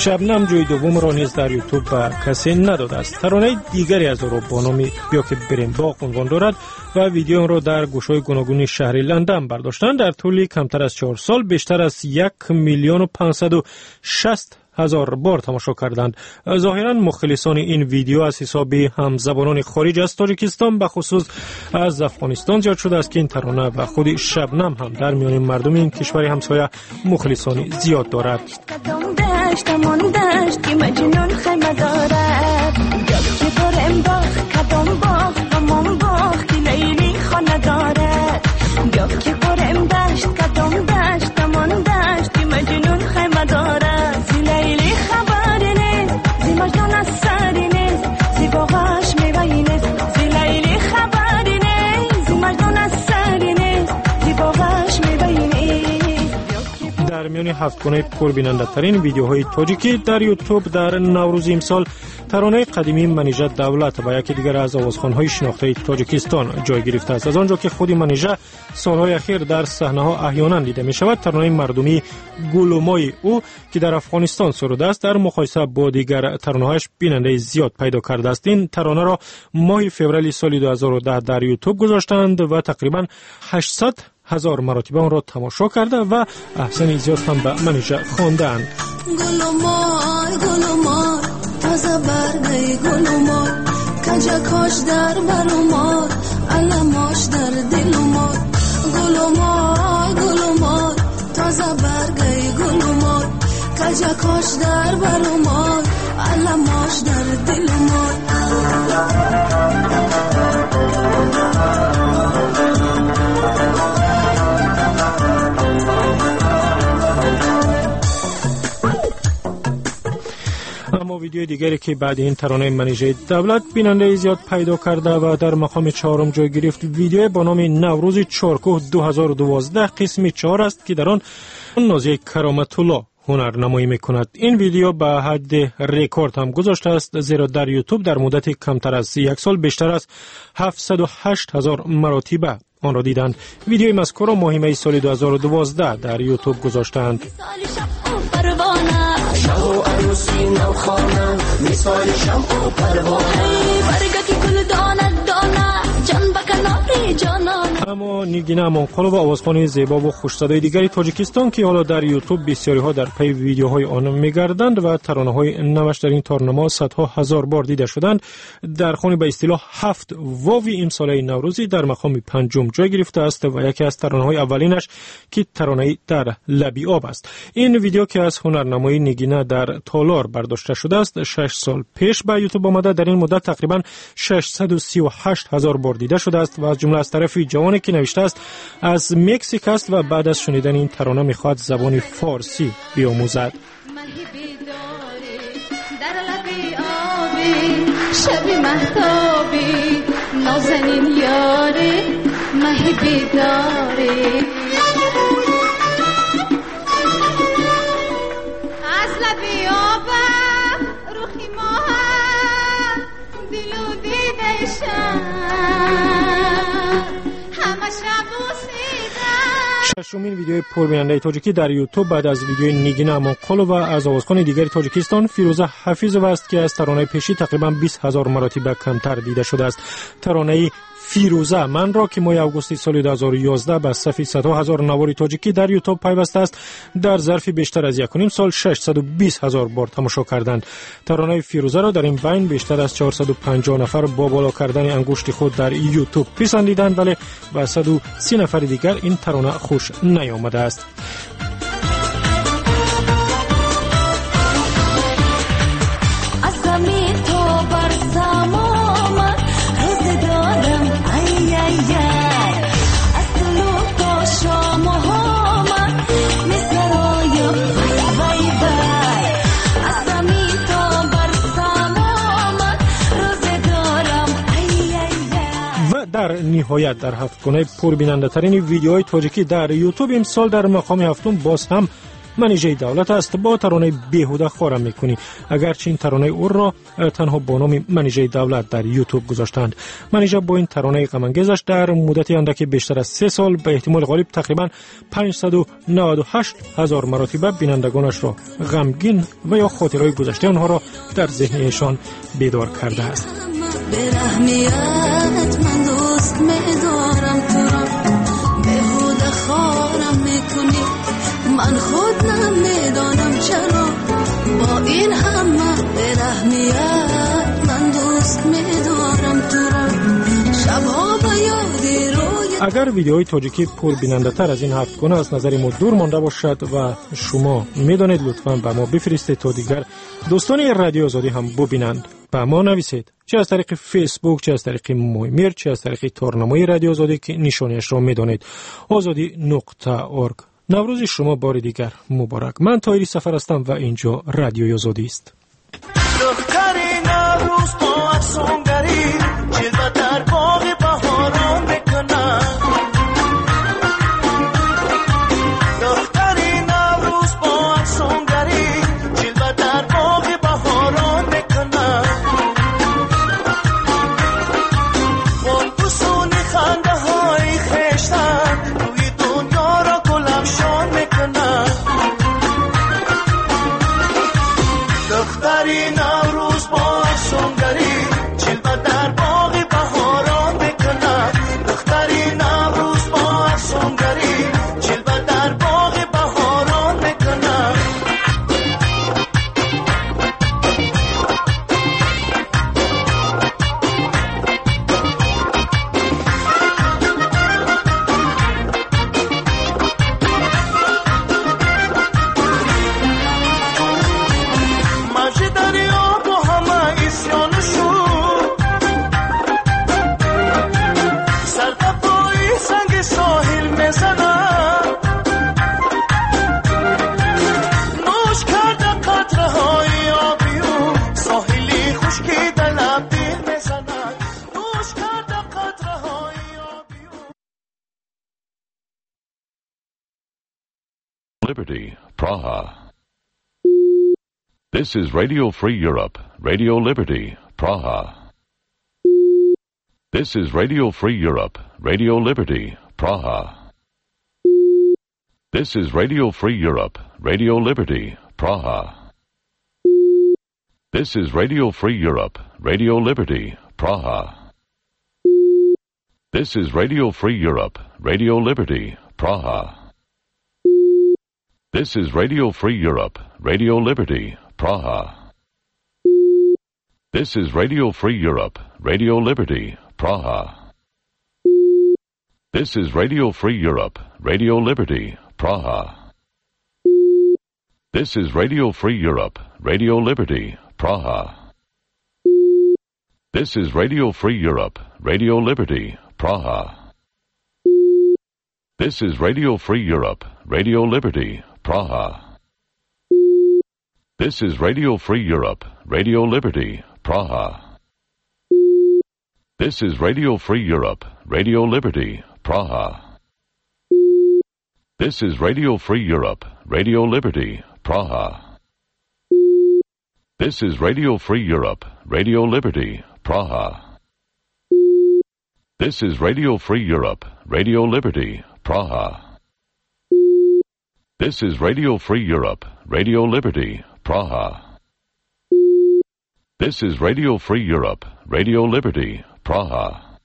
Шабнам ҷои дуввумро низ дар Ютуб ба касе надодааст. Таронаи дигаре аз ӯро бо номи «Биё ки бирем боғ» унвон дорад ва видеоонро дар гӯшҳои гуногуни шаҳри Ландан бардоштанд. Дар тӯли камтар аз чор сол бештар аз як миллиону панҷсаду шаст ҳазор бор тамошо карданд. Зоҳиран мухлисони ин видео аз ҳисоби ҳамзабонони хориҷ аз Тоҷикистон, ба хусус аз Афғонистон зиёд шудааст, ки ин тарона ва худи Шабнам ҳам дар миёни мардуми ин кишвари ҳамсоя мухлисони зиёд дорад. Дар миёни ҳафтгонаи пурбинандатарин видеоҳои тоҷикӣ дар Ютуб дар наврӯзи имсол таронаи қадимии Манижа Давлат ва яке дигар аз овозхонҳои шинохтаи Тоҷикистон ҷой гирифтааст. Аз он ҷо ки худи Манижа солҳои ахир дар саҳнаҳо аҳёнан дида мешавад, таронаи мардумии «Гулумои» ӯ, ки дар Афғонистон сурудааст, дар муқоиса бо дигар таронаҳояш бинандаи зиёд пайдо кардааст. Ин таронаро моҳи феврали соли ду ҳазору даҳ дар Ютуб гузоштанд ва тақрибан ҳаштсад ҳазор маротиба онро тамошо карда ва аҳсани зиёд ҳам ба Манижа хондаанд. Гулумой, гулумой, тоза баргаи гулумой, каҷакош дар барумой, аламош дар дилумой. Гулумой, гулумой, тоза баргаи гулумой, каҷакош дар барумой, аламош дар дилумой. Аммо Видеои дигаре ки баъди ин таронаи Манижаи Давлат бинандаи зиёд пайдо карда ва дар мақоми чаҳорум ҷой гирифт, видеое бо номи Наврӯзи Чоркӯҳ ду ҳазору дувоздаҳ қисми чаҳор аст, ки дар он Нозияи Кароматулло ҳунарнамоӣ мекунад. Ин видео ба ҳадди рекорд ҳам гузоштааст, зеро дар Ютуб дар муддати камтар аз як сол бештар аз ҳафтсаду ҳашт ҳазор маротиба онро диданд. Видеои мазкурро моҳи майи соли ду ҳазору дувоздаҳ дар Ютуб гузоштаанд. Аммо Нигина Амонқулова, овозхони зебову хушсадои дигари Тоҷикистон, ки ҳоло дар Ютуб бисёриҳо дар пайи видеоҳои он мегарданд ва таронаҳои наваш дар ин торнамо садҳо ҳазор бор дида шуданд, дар хони ба истилоҳ ҳафт вови имсолаи наврӯзӣ дар мақоми панҷум ҷой гирифтааст ва яке аз таронаҳои аввалинаш ки таронаи дар лаби об аст. Ин видео ки аз ҳунарнамоии Нигина дар толор бардошта шудааст, шаш сол пеш ба Ютуб омада, дар ин муддат тақрибан шашсаду сию ҳашт ҳазор бор дида шудааст ва аз ҷумла аз тарафи ҷавоне ки навиштааст аз Мексик аст ва баъд аз шунидани ин тарона мехоҳад забони форсӣ биомӯзад. Шашумин видеои пурбинандаи тоҷикӣ дар Ютуб баъд аз видеои Нигина Амонқулова аз овозхони дигари Тоҷикистон Фирӯза Ҳафизова аст, ки аз таронаи пешӣ тақрибан бист ҳазор маротиба камтар дида шудааст. Таронаи Фирӯза манро, ки моҳи августи соли ду ҳазору ёздаҳ ба сафи садҳо ҳазор навори тоҷикӣ дар Ютуб пайвастааст, дар зарфи бештар аз якуним сол шашсаду бист ҳазор бор тамошо карданд. Таронаи Фирӯзаро дар ин байн бештар аз чорсаду панҷоҳ нафар бо боло кардани ангушти худ дар Ютуб писандиданд, вале ба саду си нафари дигар ин тарона хуш наёмадааст. Дар ниҳоят дар ҳафткунаи пурбинандатарини видеоҳои тоҷикӣ дар Ютуб имсол дар мақоми ҳафтум боз ҳам Манижаи Давлат аст бо таронаи беҳуда хора мекунӣ, агарчи ин таронаи ӯро танҳо бо номи Манижаи Давлат дар Ютуб гузоштанд. Манижа бо ин таронаи ғамангезаш дар муддати андаки бештар аз се сол ба эҳтимоли ғолиб тақрибан панҷсаду наваду ҳашт ҳазор маротиба бинандагонашро ғамгин ва ё хотираҳои гузаштаи онҳоро дар зеҳни эшон бедор кардааст. من خود نمیدانم چرا با این همه برحمیت من دوست میدارم تو را شبها به یاد روی. Агар видеои тоҷикӣ пурбинандатар аз ин ҳафткуна аз назари мо дур монда бошад ва шумо медонед, лутфан ба мо бифиристед, то дигар дӯстони Радиои Озодӣ ҳам бубинанд. Ба мо нависед, чӣ аз тариқи Фейсбук, чӣ аз тариқи Моймир, чӣ аз тариқи торнамои Радиои Озодӣ, ки нишониашро медонед, озодӣ нуқта орг. Наврӯзи шумо бори дигар муборак. Ман Тоҳири Сафар ҳастам ва инҷо Радиои Озодӣ аст. Духтари Наврӯз бо афсунгарӣ ҷилва дар боғи баҳорон мекунад. Духтари Наврӯз бо афсунгарӣ ҷилва дар боғи баҳорон мекунад. Бо бусуни хандаҳои хештан рӯи дунёро гулафшон мекунад. Духтари Наврӯз бо афсунгарӣ ҷилва дар боғи баҳорон мекунад. Liberty, Praha. This is Radio Free Europe, Radio Liberty, Praha. This is Radio Free Europe, Radio Liberty, Praha. This is Radio Free Europe, Radio Liberty, Praha. This is Radio Free Europe, Radio Liberty, Praha. This is Radio Free Europe, Radio Liberty, Praha. This is Radio Free Europe, Radio Liberty, Praha. This is Radio Free Europe, Radio Liberty, Praha. This is Radio Free Europe, Radio Liberty, Praha. This is Radio Free Europe, Radio Liberty, Praha. This is Radio Free Europe, Radio Liberty, Praha. This is Radio Free Europe, Radio Liberty, Praha. This is Radio Free Europe, Radio Liberty, Praha. This is Radio Free Europe, Radio Liberty, Praha. This is Radio Free Europe, Radio Liberty, Praha. This is Radio Free Europe, Radio Liberty, Praha. This is Radio Free Europe, Radio Liberty, Praha. This is Radio Free Europe, Radio Liberty, Praha. This is Radio Free Europe, Radio Liberty, Praha.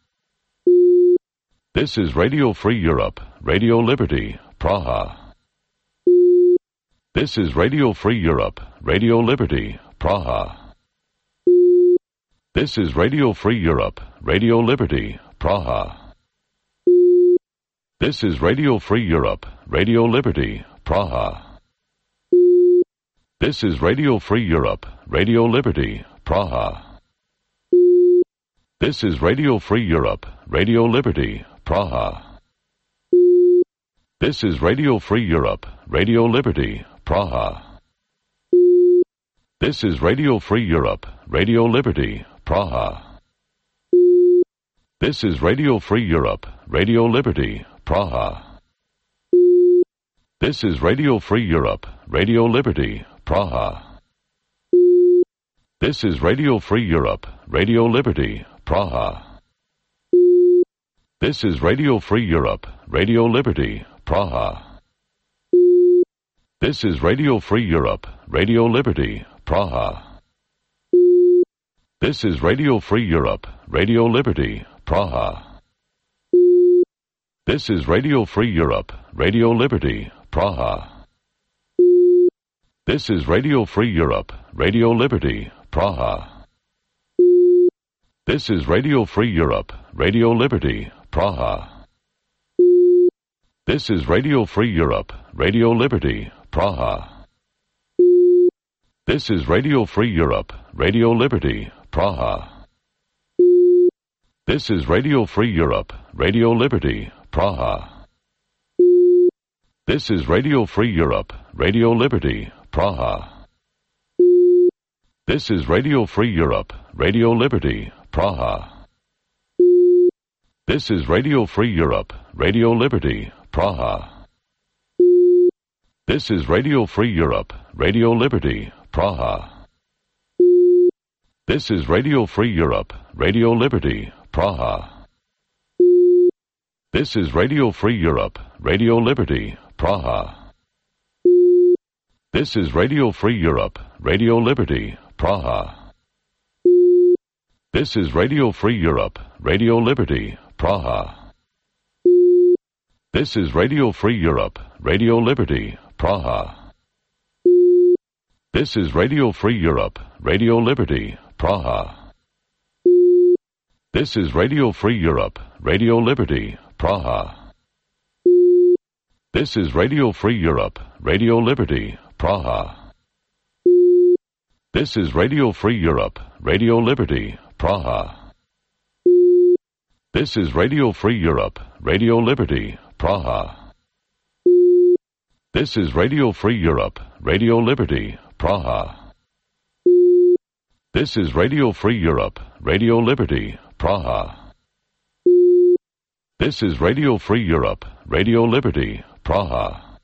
This is Radio Free Europe, Radio Liberty, Praha. This is Radio Free Europe, Radio Liberty, Praha. This is Radio Free Europe, Radio Liberty, Praha. This is Radio Free Europe, Radio Liberty, Praha. This is Radio Free Europe, Radio Liberty, Praha. This is Radio Free Europe, Radio Liberty, Praha. This is Radio Free Europe, Radio Liberty, Praha. This is Radio Free Europe, Radio Liberty, Praha. This is Radio Free Europe, Radio Liberty, Praha. This is Radio Free Europe, Radio Liberty, Praha. This is Radio Free Europe, Radio Liberty, Praha. This is Radio Free Europe, Radio Liberty, Praha. This is Radio Free Europe, Radio Liberty, Praha. This is Radio Free Europe, Radio Liberty, Praha. This is Radio Free Europe, Radio Liberty, Praha. This is Radio Free Europe, Radio Liberty, Praha. This is Radio Free Europe, Radio Liberty, Praha. This is Radio Free Europe, Radio Liberty, Praha. This is Radio Free Europe, Radio Liberty, Praha. This is Radio Free Europe, Radio Liberty, Praha. This is Radio Free Europe, Radio Liberty, Praha. This is Radio Free Europe, Radio Liberty, Praha. This is Radio Free Europe, Radio Liberty, Praha. This is Radio Free Europe, Radio Liberty, Praha. This is Radio Free Europe, Radio Liberty, Praha. This is Radio Free Europe, Radio Liberty, Praha. This is Radio Free Europe, Radio Liberty, Praha. This is Radio Free Europe, Radio Liberty, Praha. This is Radio Free Europe, Radio Liberty, Praha. This is Radio Free Europe, Radio Liberty, Praha. This is Radio Free Europe, Radio Liberty, Praha. This is Radio Free Europe, Radio Liberty, Praha. This is Radio Free Europe, Radio Liberty, Praha. This is Radio Free Europe, Radio Liberty, Praha. This is Radio Free Europe, Radio Liberty, Praha. This is Radio Free Europe, Radio Liberty, Praha. This is Radio Free Europe, Radio Liberty, Praha.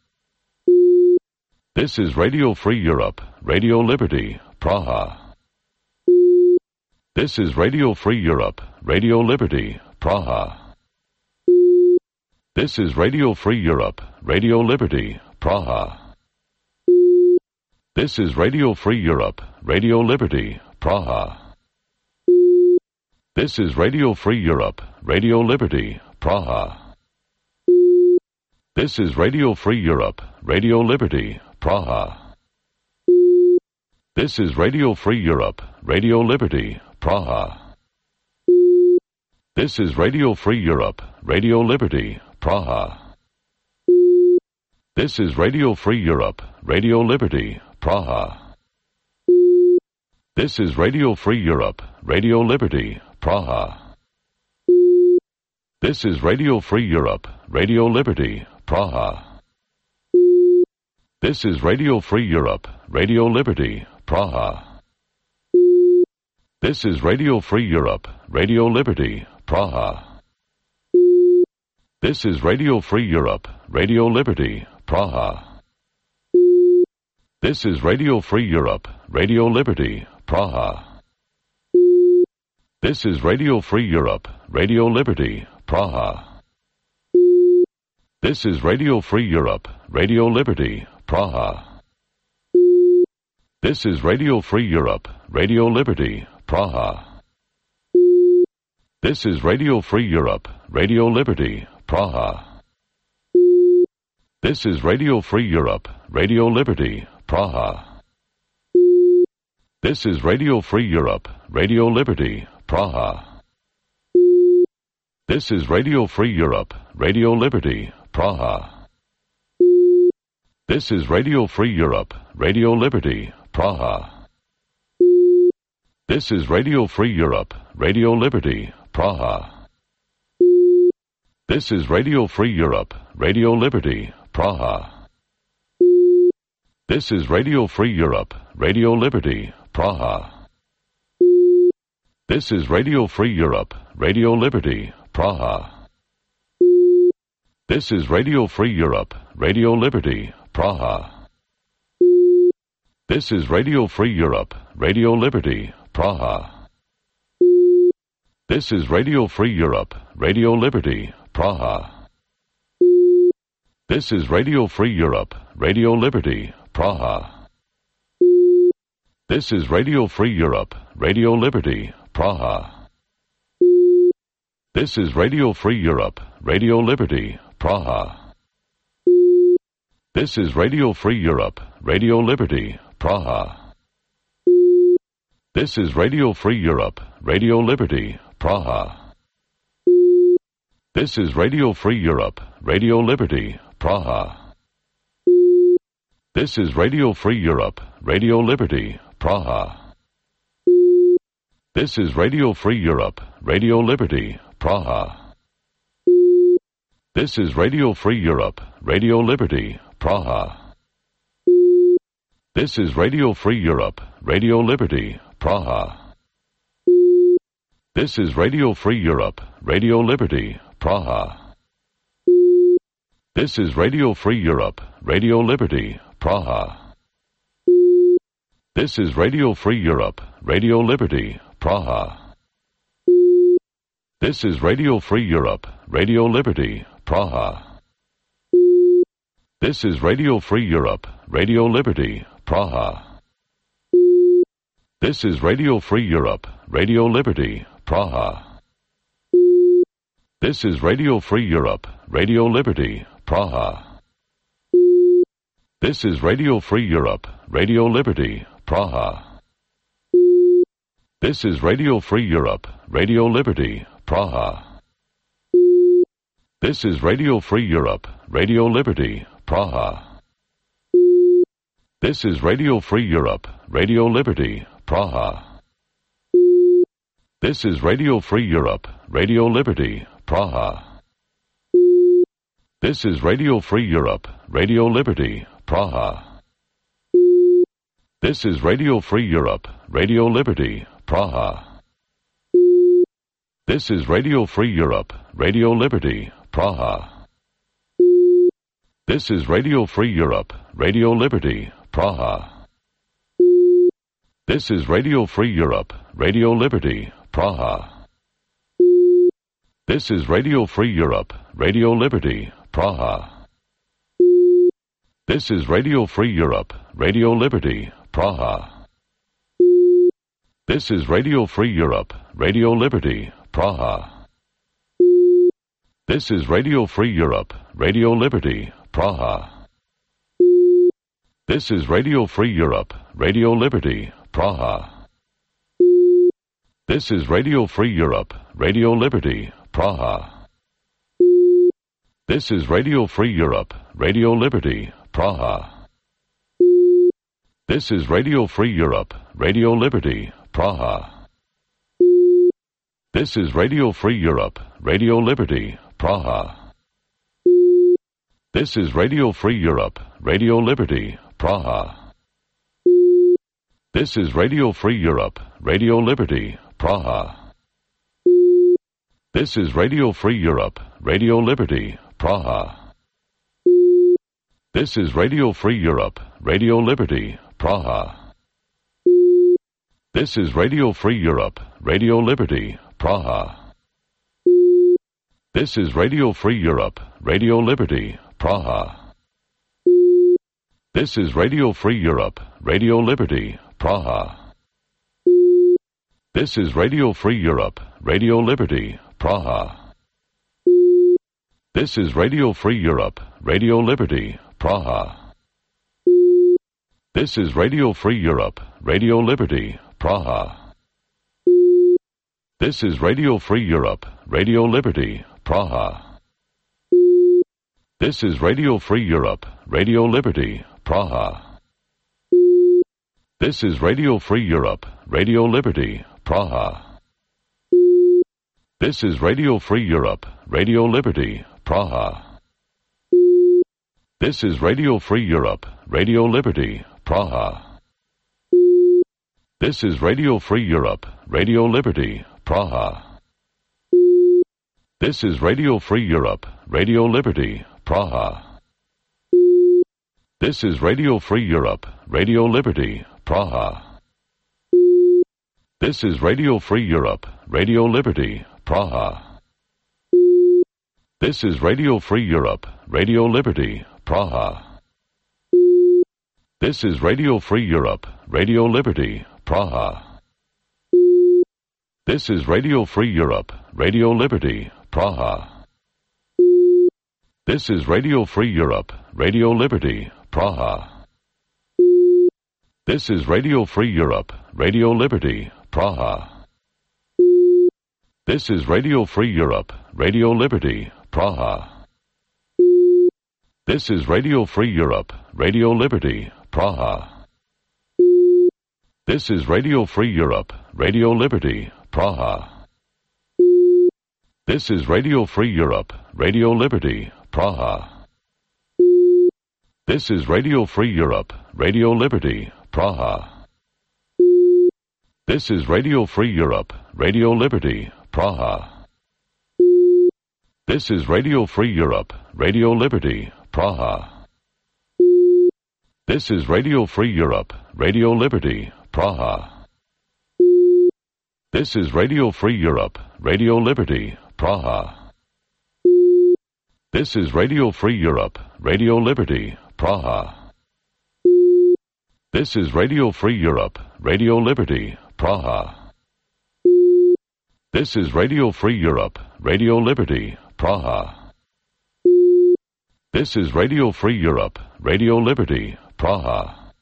This is Radio Free Europe, Radio Liberty, Praha. This is Radio Free Europe, Radio Liberty, Praha. This is Radio Free Europe, Radio Liberty, Praha. This is Radio Free Europe, Radio Liberty, Praha. This is Radio Free Europe, Radio Liberty, Praha. This is Radio Free Europe, Radio Liberty, Praha. This is Radio Free Europe, Radio Liberty, Praha. This is Radio Free Europe, Radio Liberty, Praha. This is Radio Free Europe, Radio Liberty, Praha. This is Radio Free Europe, Radio Liberty, Praha. This is Radio Free Europe, Radio Liberty, Praha. This is Radio Free Europe, Radio Liberty, Praha. This is Radio Free Europe, Radio Liberty, Praha. This is Radio Free Europe, Radio Liberty, Praha. This is Radio Free Europe, Radio Liberty, Praha. This is Radio Free Europe, Radio Liberty, Praha. This is Radio Free Europe, Radio Liberty, Praha. This is Radio Free Europe, Radio Liberty, Praha. This is Radio Free Europe, Radio Liberty, Praha. This is Radio Free Europe, Radio Liberty, Praha. This is Radio Free Europe, Radio Liberty, Praha. This is Radio Free Europe, Radio Liberty, Praha. This is Radio Free Europe, Radio Liberty, Praha. This is Radio Free Europe, Radio Liberty, Praha. This is Radio Free Europe, Radio Liberty, Praha. This is Radio Free Europe, Radio Liberty, Praha. This is Radio Free Europe, Radio Liberty, Praha. This is Radio Free Europe, Radio Liberty, Praha. This is Radio Free Europe, Radio Liberty, Praha. This is Radio Free Europe, Radio Liberty, Praha. This is Radio Free Europe, Radio Liberty, Praha. This is Radio Free Europe, Radio Liberty, Praha. This is Radio Free Europe, Radio Liberty, Praha. This is Radio Free Europe, Radio Liberty, Praha. This is Radio Free Europe, Radio Liberty, Praha. This is Radio Free Europe, Radio Liberty, Praha. This is Radio Free Europe, Radio Liberty, Praha. This is Radio Free Europe, Radio Liberty, Praha. This is Radio Free Europe, Radio Liberty, Praha. This is Radio Free Europe, Radio Liberty, Praha. This is Radio Free Europe, Radio Liberty, Praha. This is Radio Free Europe, Radio Liberty, Praha. This is Radio Free Europe, Radio Liberty, Praha. This is Radio Free Europe, Radio Liberty, Praha. This is Radio Free Europe, Radio Liberty, Praha. This is Radio Free Europe, Radio Liberty, Praha. This is Radio Free Europe, Radio Liberty, Praha. This is Radio Free Europe, Radio Liberty, Praha. This is Radio Free Europe, Radio Liberty, Praha. This is Radio Free Europe, Radio Liberty, Praha. This is Radio Free Europe, Radio Liberty, Praha. This is Radio Free Europe, Radio Liberty, Praha. This is Radio Free Europe, Radio Liberty, Praha. This is Radio Free Europe, Radio Liberty, Praha. This is Radio Free Europe, Radio Liberty, Praha. This is Radio Free Europe, Radio Liberty, Praha. This is Radio Free Europe, Radio Liberty, Praha. This is Radio Free Europe, Radio Liberty, Praha. This is Radio Free Europe, Radio Liberty, Praha. This is Radio Free Europe, Radio Liberty, Praha. This is Radio Free Europe, Radio Liberty, Praha. This is Radio Free Europe, Radio Liberty, Praha. This is Radio Free Europe, Radio Liberty, Praha. This is Radio Free Europe, Radio Liberty, Praha. This is Radio Free Europe, Radio Liberty, Praha. This is Radio Free Europe, Radio Liberty, Praha. This is Radio Free Europe, Radio Liberty, Praha. This is Radio Free Europe, Radio Liberty, Praha. This is Radio Free Europe, Radio Liberty, Praha. This is Radio Free Europe, Radio Liberty, Praha. This is Radio Free Europe, Radio Liberty, Praha. This is Radio Free Europe, Radio Liberty, Praha. This is Radio Free Europe, Radio Liberty, Praha. This is Radio Free Europe, Radio Liberty, Praha. This is Radio Free Europe, Radio Liberty, Praha. This is Radio Free Europe, Radio Liberty, Praha. This is Radio Free Europe, Radio Liberty, Praha. This is Radio Free Europe, Radio Liberty, Praha. This is Radio Free Europe, Radio Liberty, Praha. This is Radio Free Europe, Radio Liberty, Praha. This is Radio Free Europe, Radio Liberty, Praha. This is Radio Free Europe, Radio Liberty, Praha. This is Radio Free Europe, Radio Liberty, Praha. This is Radio Free Europe, Radio Liberty, Praha. This is Radio Free Europe, Radio Liberty, Praha. This is Radio Free Europe, Radio Liberty, Praha. This is Radio Free Europe, Radio Liberty, Praha. This is Radio Free Europe, Radio Liberty, Praha. This is Radio Free Europe, Radio Liberty, Praha. This is Radio Free Europe, Radio Liberty, Praha. This is Radio Free Europe, Radio Liberty, Praha. This is Radio Free Europe, Radio Liberty, Praha. This is Radio Free Europe, Radio Liberty, Praha. This is Radio Free Europe, Radio Liberty, Praha. This is Radio Free Europe, Radio Liberty, Praha. This is Radio Free Europe, Radio Liberty, Praha. This is Radio Free Europe, Radio Liberty, Praha. This is Radio Free Europe, Radio Liberty, Praha. This is Radio Free Europe, Radio Liberty, Praha. This is Radio Free Europe, Radio Liberty, Praha. This is Radio Free Europe, Radio Liberty, Praha. This is Radio Free Europe, Radio Liberty, Praha. This is Radio Free Europe, Radio Liberty, Praha.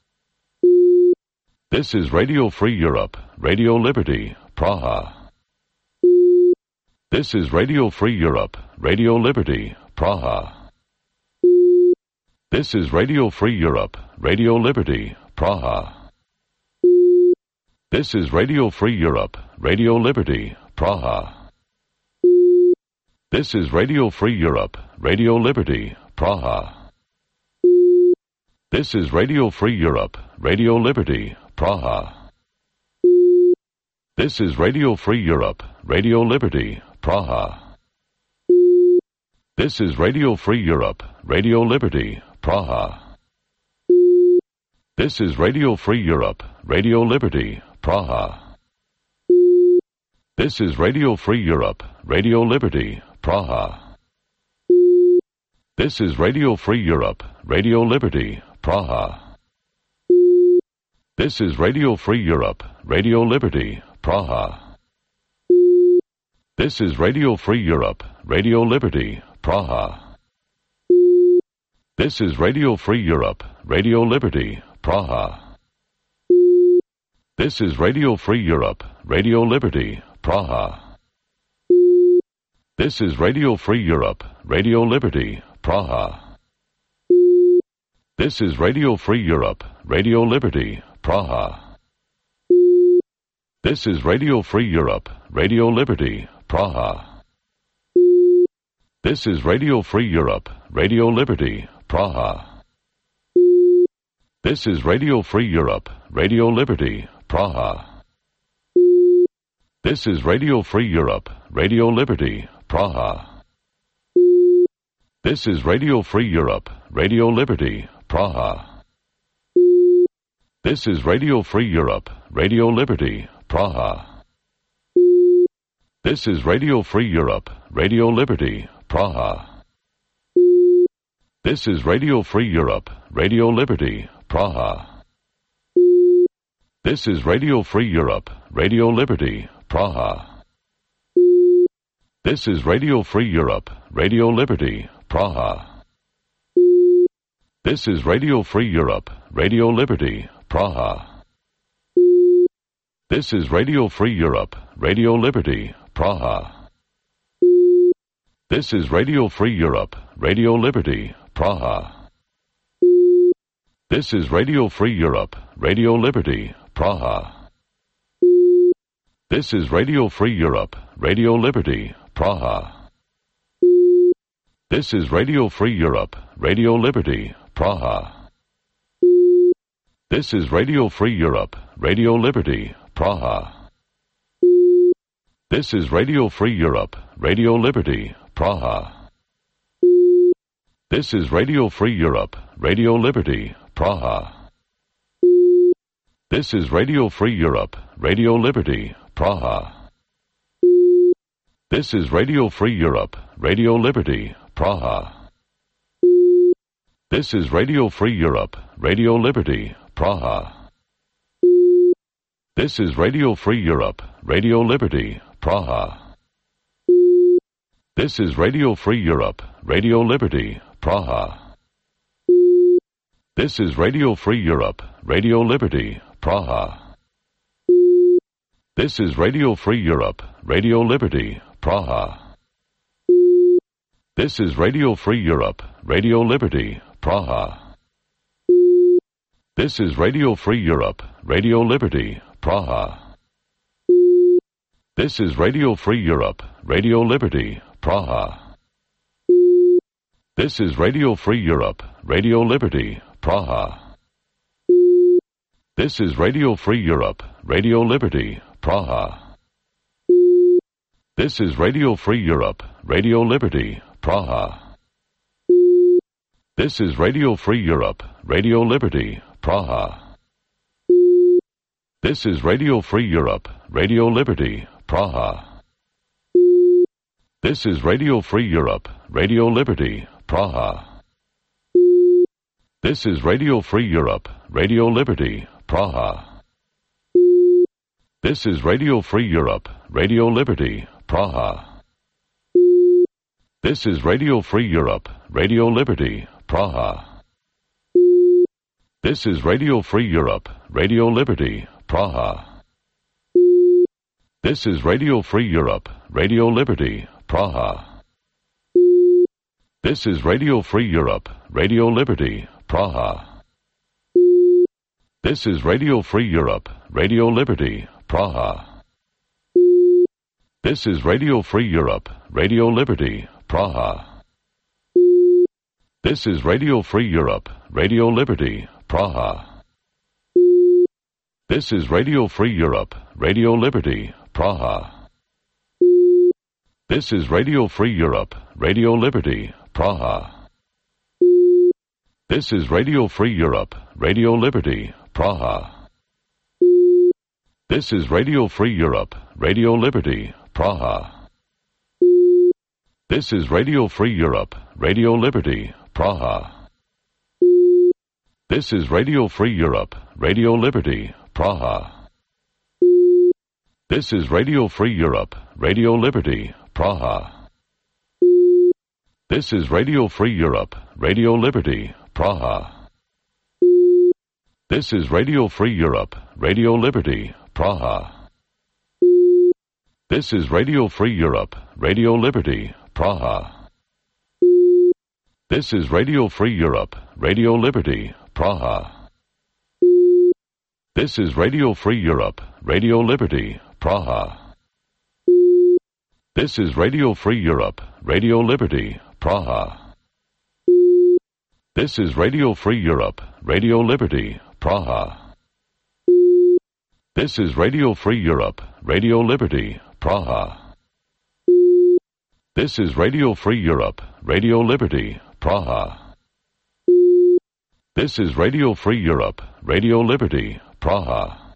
This is Radio Free Europe, Radio Liberty, Praha. This is Radio Free Europe, Radio Liberty, Praha. This is Radio Free Europe, Radio Liberty, Praha. This is Radio Free Europe, Radio Liberty, Praha. This is Radio Free Europe, Radio Liberty, Praha. This is Radio Free Europe, Radio Liberty, Praha. This is Radio Free Europe, Radio Liberty, Praha. This is Radio Free Europe, Radio Liberty, Praha. This is Radio Free Europe, Radio Liberty, Praha. This is Radio Free Europe, Radio Liberty, Praha. This is Radio Free Europe, Radio Liberty, Praha. This is Radio Free Europe, Radio Liberty, Praha. This is Radio Free Europe, Radio Liberty, Praha. This is Radio Free Europe, Radio Liberty, Praha. This is Radio Free Europe, Radio Liberty, Praha. This is Radio Free Europe, Radio Liberty, Praha. This is Radio Free Europe, Radio Liberty, Praha. This is Radio Free Europe, Radio Liberty, Praha. This is Radio Free Europe, Radio Liberty, Praha. This is Radio Free Europe, Radio Liberty, Praha. This is Radio Free Europe, Radio Liberty, Praha. This is Radio Free Europe, Radio Liberty, Praha. This is Radio Free Europe, Radio Liberty, Praha. This is Radio Free Europe, Radio Liberty, Praha. This is Radio Free Europe, Radio Liberty, Praha. This is Radio Free Europe, Radio Liberty, Praha. This is Radio Free Europe, Radio Liberty, Praha. This is Radio Free Europe, Radio Liberty, Praha. This is Radio Free Europe, Radio Liberty, Praha. This is Radio Free Europe, Radio Liberty, Praha. This is Radio Free Europe, Radio Liberty, Praha. This is Radio Free Europe, Radio Liberty, Praha. This is Radio Free Europe, Radio Liberty, Praha. This is Radio Free Europe, Radio Liberty, Praha. This is Radio Free Europe, Radio Liberty, Praha. This is Radio Free Europe, Radio Liberty, Praha. This is Radio Free Europe, Radio Liberty, Praha. This is Radio Free Europe, Radio Liberty, Praha. This is Radio Free Europe, Radio Liberty, Praha. This is Radio Free Europe, Radio Liberty, Praha. This is Radio Free Europe, Radio Liberty, Praha. This is Radio Free Europe, Radio Liberty, Praha. This is Radio Free Europe, Radio Liberty, Praha. This is Radio Free Europe, Radio Liberty, Praha. This is Radio Free Europe, Radio Liberty, Praha. This is Radio Free Europe, Radio Liberty, Praha. This is Radio Free Europe, Radio Liberty, Praha. This is Radio Free Europe, Radio Liberty, Praha. This is Radio Free Europe, Radio Liberty, Praha. This is Radio Free Europe, Radio Liberty, Praha. This is Radio Free Europe, Radio Liberty, Praha. This is Radio Free Europe, Radio Liberty, Praha. This is Radio Free Europe, Radio Liberty, Praha. This is Radio Free Europe, Radio Liberty, Praha. This is Radio Free Europe, Radio Liberty, Praha. This is Radio Free Europe, Radio Liberty, Praha. This is Radio Free Europe, Radio Liberty, Praha. This is Radio Free Europe, Radio Liberty, Praha. This is Radio Free Europe, Radio Liberty, Praha. This is Radio Free Europe, Radio Liberty, Praha. This is Radio Free Europe, Radio Liberty, Praha. This is Radio Free Europe, Radio Liberty, Praha. This is Radio Free Europe, Radio Liberty, Praha. This is Radio Free Europe, Radio Liberty, Praha. This is Radio Free Europe, Radio Liberty, Praha. This is Radio Free Europe, Radio Liberty, Praha. This is Radio Free Europe, Radio Liberty, Praha. This is Radio Free Europe, Radio Liberty, Praha. This is Radio Free Europe, Radio Liberty, Praha. This is Radio Free Europe, Radio Liberty, Praha. This is Radio Free Europe, Radio Liberty, Praha. This is Radio Free Europe, Radio Liberty, Praha. This is Radio Free Europe, Radio Liberty, Praha. This is Radio Free Europe, Radio Liberty, Praha. This is Radio Free Europe, Radio Liberty, Praha. This is Radio Free Europe, Radio Liberty, Praha. This is Radio Free Europe, Radio Liberty, Praha. This is Radio Free Europe, Radio Liberty, Praha.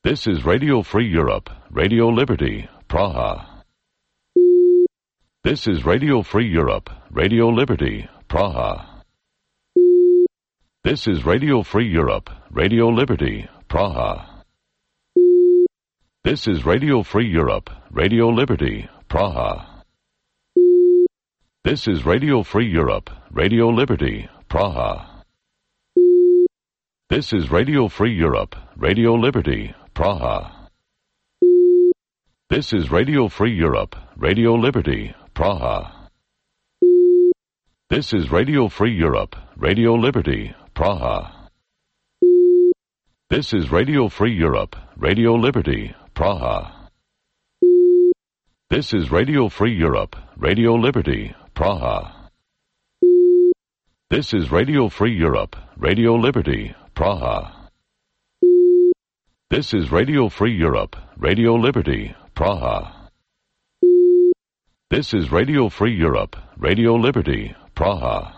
This is Radio Free Europe, Radio Liberty, Praha. This is Radio Free Europe, Radio Liberty, Praha. This is Radio Free Europe, Radio Liberty, Praha. This is Radio Free Europe, Radio Liberty, Praha. This is Radio Free Europe, Radio Liberty, Praha. This is Radio Free Europe, Radio Liberty, Praha. This is Radio Free Europe, Radio Liberty, Praha. This is Radio Free Europe, Radio Liberty, Praha. This is Radio Free Europe, Radio Liberty, Praha. This is Radio Free Europe, Radio Liberty, Praha. This is Radio Free Europe, Radio Liberty, Praha. This is Radio Free Europe, Radio Liberty, Praha. This is Radio Free Europe, Radio Liberty, Praha.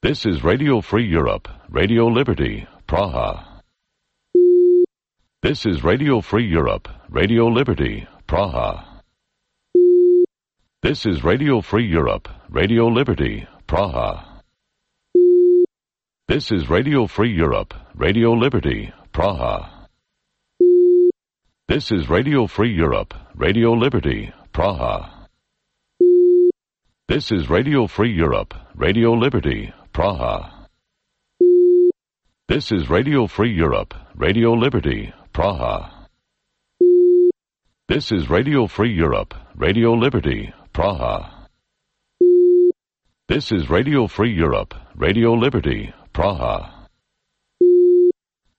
This is Radio Free Europe, Radio Liberty, Praha. This is Radio Free Europe, Radio Liberty, Praha. This is Radio Free Europe, Radio Liberty, Praha. This is Radio Free Europe, Radio Liberty, Praha. This is Radio Free Europe, Radio Liberty, Praha. This is Radio Free Europe, Radio Liberty, Praha. This is Radio Free Europe, Radio Liberty, Praha. This is Radio Free Europe, Radio Liberty, Praha. This is Radio Free Europe, Radio Liberty, Praha.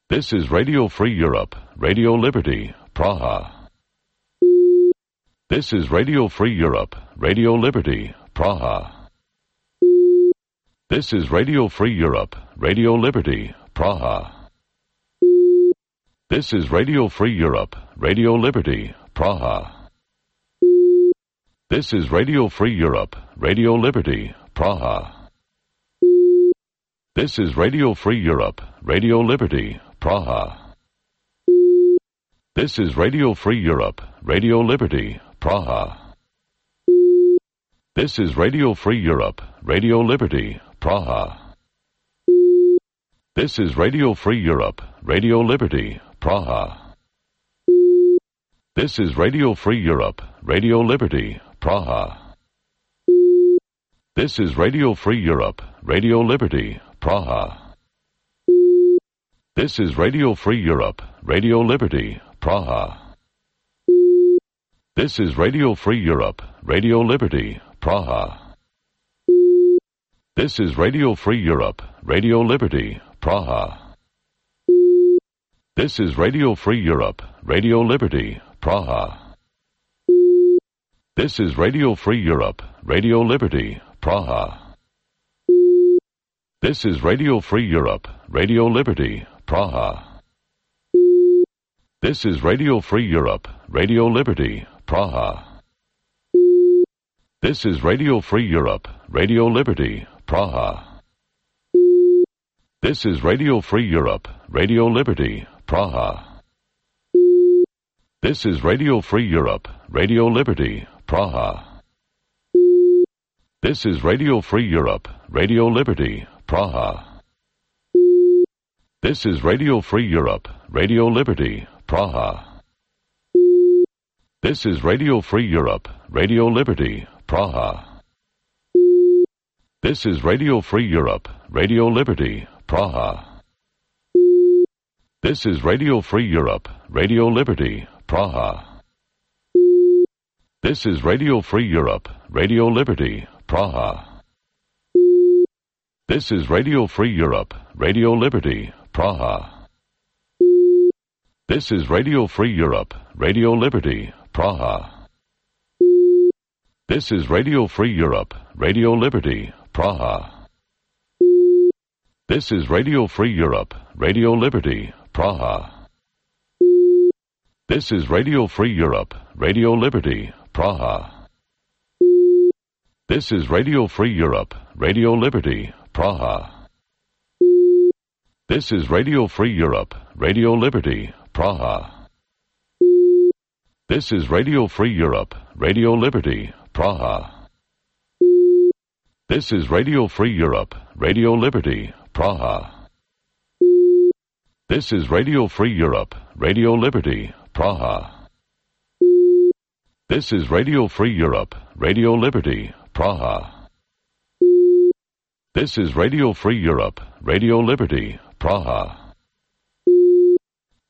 This is Radio Free Europe, Radio Liberty, Praha. This is Radio Free Europe, Radio Liberty, Praha. This is Radio Free Europe, Radio Liberty, Praha. This is Radio Free Europe, Radio Liberty, Praha. This is Radio Free Europe, Radio Liberty, Praha. This is Radio Free Europe, Radio Liberty, Praha. This is Radio Free Europe, Radio Liberty, Praha. This is Radio Free Europe, Radio Liberty, Praha. This is Radio Free Europe, Radio Liberty, Praha. This is Radio Free Europe, Radio Liberty, Praha. This is Radio Free Europe, Radio Liberty, Praha. This is Radio Free Europe, Radio Liberty, Praha. This is Radio Free Europe, Radio Liberty, Praha. This is Radio Free Europe, Radio Liberty, Praha. This is Radio Free Europe, Radio Liberty, Praha. This is Radio Free Europe, Radio Liberty, Praha. This is Radio Free Europe, Radio Liberty, Praha. This is Radio Free Europe, Radio Liberty, Praha. This is Radio Free Europe, Radio Liberty, Praha. This is Radio Free Europe, Radio Liberty, Praha. This is Radio Free Europe, Radio Liberty, Praha. This is Radio Free Europe, Radio Liberty, Praha. This is Radio Free Europe, Radio Liberty, Praha. This is Radio Free Europe, Radio Liberty, Praha. This is Radio Free Europe, Radio Liberty, Praha. This is Radio Free Europe, Radio Liberty, Praha. This is Radio Free Europe, Radio Liberty, Praha. This is Radio Free Europe, Radio Liberty, Praha. This is Radio Free Europe, Radio Liberty, Praha. This is Radio Free Europe, Radio Liberty, Praha. This is Radio Free Europe, Radio Liberty, Praha. This is Radio Free Europe, Radio Liberty, Praha. This is Radio Free Europe, Radio Liberty, Praha. This is Radio Free Europe, Radio Liberty, Praha. This is Radio Free Europe, Radio Liberty, Praha. This is Radio Free Europe, Radio Liberty, Praha. This is Radio Free Europe, Radio Liberty, Praha. This is Radio Free Europe, Radio Liberty, Praha. This is Radio Free Europe, Radio Liberty, Praha.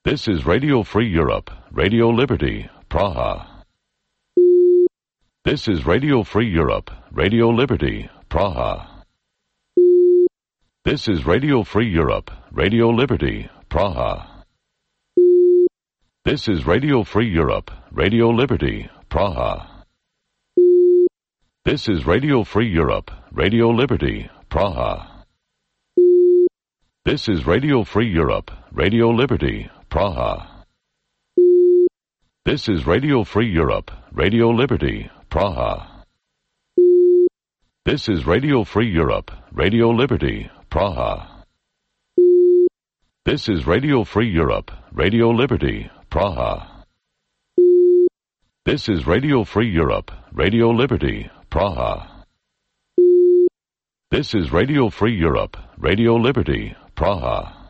This is Radio Free Europe, Radio Liberty, Praha. This is Radio Free Europe, Radio Liberty, Praha. This is Radio Free Europe, Radio Liberty, Praha. This is Radio Free Europe, Radio Liberty, Praha. This is Radio Free Europe, Radio Liberty, Praha. This is Radio Free Europe, Radio Liberty, Praha. This is Radio Free Europe, Radio Liberty, Praha. This is Radio Free Europe, Radio Liberty, Praha. This is Radio Free Europe, Radio Liberty, Praha. This is Radio Free Europe, Radio Liberty, Praha. This is Radio Free Europe, Radio Liberty, Praha.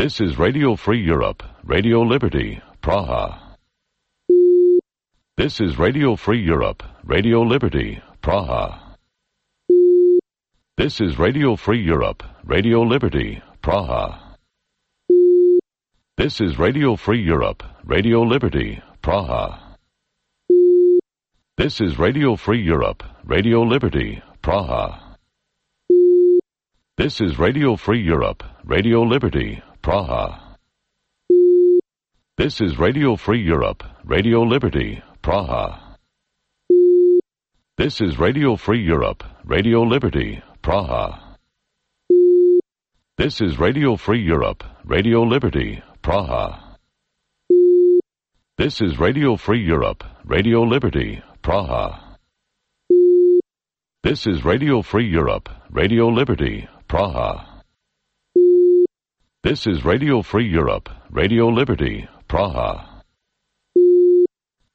This is Radio Free Europe, Radio Liberty, Praha. This is Radio Free Europe, Radio Liberty, Praha. This is Radio Free Europe, Radio Liberty, Praha. This is Radio Free Europe, Radio Liberty, Praha. This is Radio Free Europe, Radio Liberty, Praha. This is Radio Free Europe, Radio Liberty, Praha. This is Radio Free Europe, Radio Liberty, Praha. This is Radio Free Europe, Radio Liberty, Praha. This is Radio Free Europe, Radio Liberty, Praha. This is Radio Free Europe, Radio Liberty, Praha. This is Radio Free Europe, Radio Liberty, Praha. This is Radio Free Europe, Radio Liberty, Praha.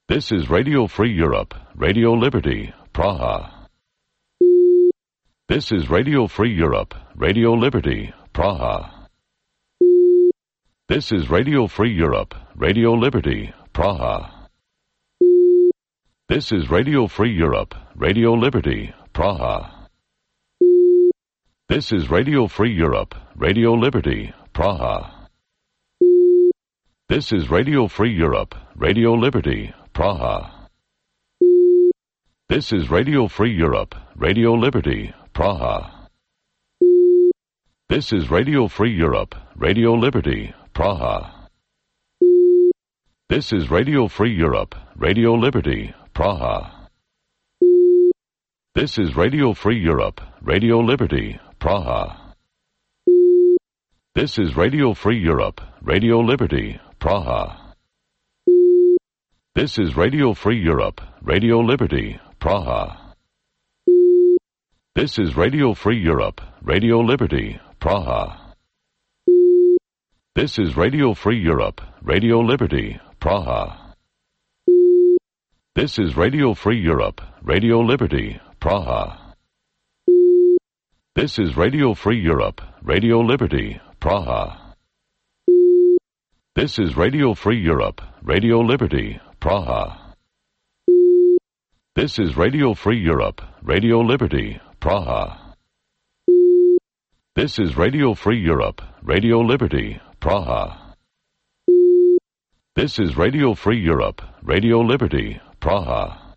This is Radio Free Europe, Radio Liberty, Praha. This is Radio Free Europe, Radio Liberty, Praha. This is Radio Free Europe, Radio Liberty, Praha. This is Radio Free Europe, Radio Liberty, Praha. This is Radio Free Europe, Radio Liberty, Praha. This is Radio Free Europe, Radio Liberty, Praha. This is Radio Free Europe, Radio Liberty, Praha. This is Radio Free Europe, Radio Liberty, Praha. This is Radio Free Europe, Radio Liberty, Praha. This is Radio Free Europe, Radio Liberty, Praha. This is Radio Free Europe, Radio Liberty, Praha. This is Radio Free Europe, Radio Liberty, Praha. This is Radio Free Europe, Radio Liberty, Praha. This is Radio Free Europe, Radio Liberty, Praha. This is Radio Free Europe, Radio Liberty, Praha. This is Radio Free Europe, Radio Liberty, Praha. This is Radio Free Europe, Radio Liberty, Praha. This is Radio Free Europe, Radio Liberty, Praha. This is Radio Free Europe, Radio Liberty, Praha. This is Radio Free Europe, Radio Liberty, Praha.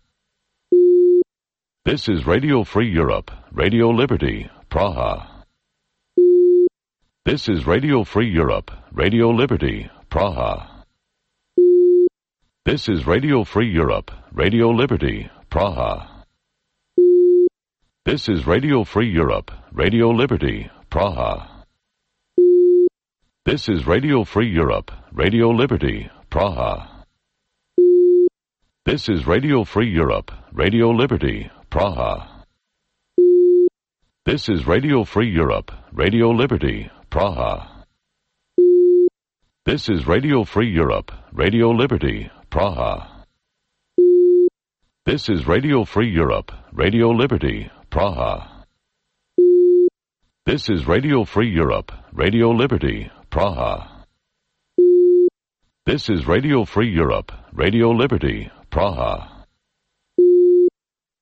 This is Radio Free Europe, Radio Liberty, Praha. This is Radio Free Europe, Radio Liberty, Praha. This is Radio Free Europe, Radio Liberty, Praha. This is Radio Free Europe, Radio Liberty, Praha. This is Radio Free Europe, Radio Liberty, Praha. This is Radio Free Europe, Radio Liberty, Praha. This is Radio Free Europe, Radio Liberty, Praha. This is Radio Free Europe, Radio Liberty, Praha. This is Radio Free Europe, Radio Liberty, Praha. This is Radio Free Europe, Radio Liberty, Praha. This is Radio Free Europe, Radio Liberty, Praha.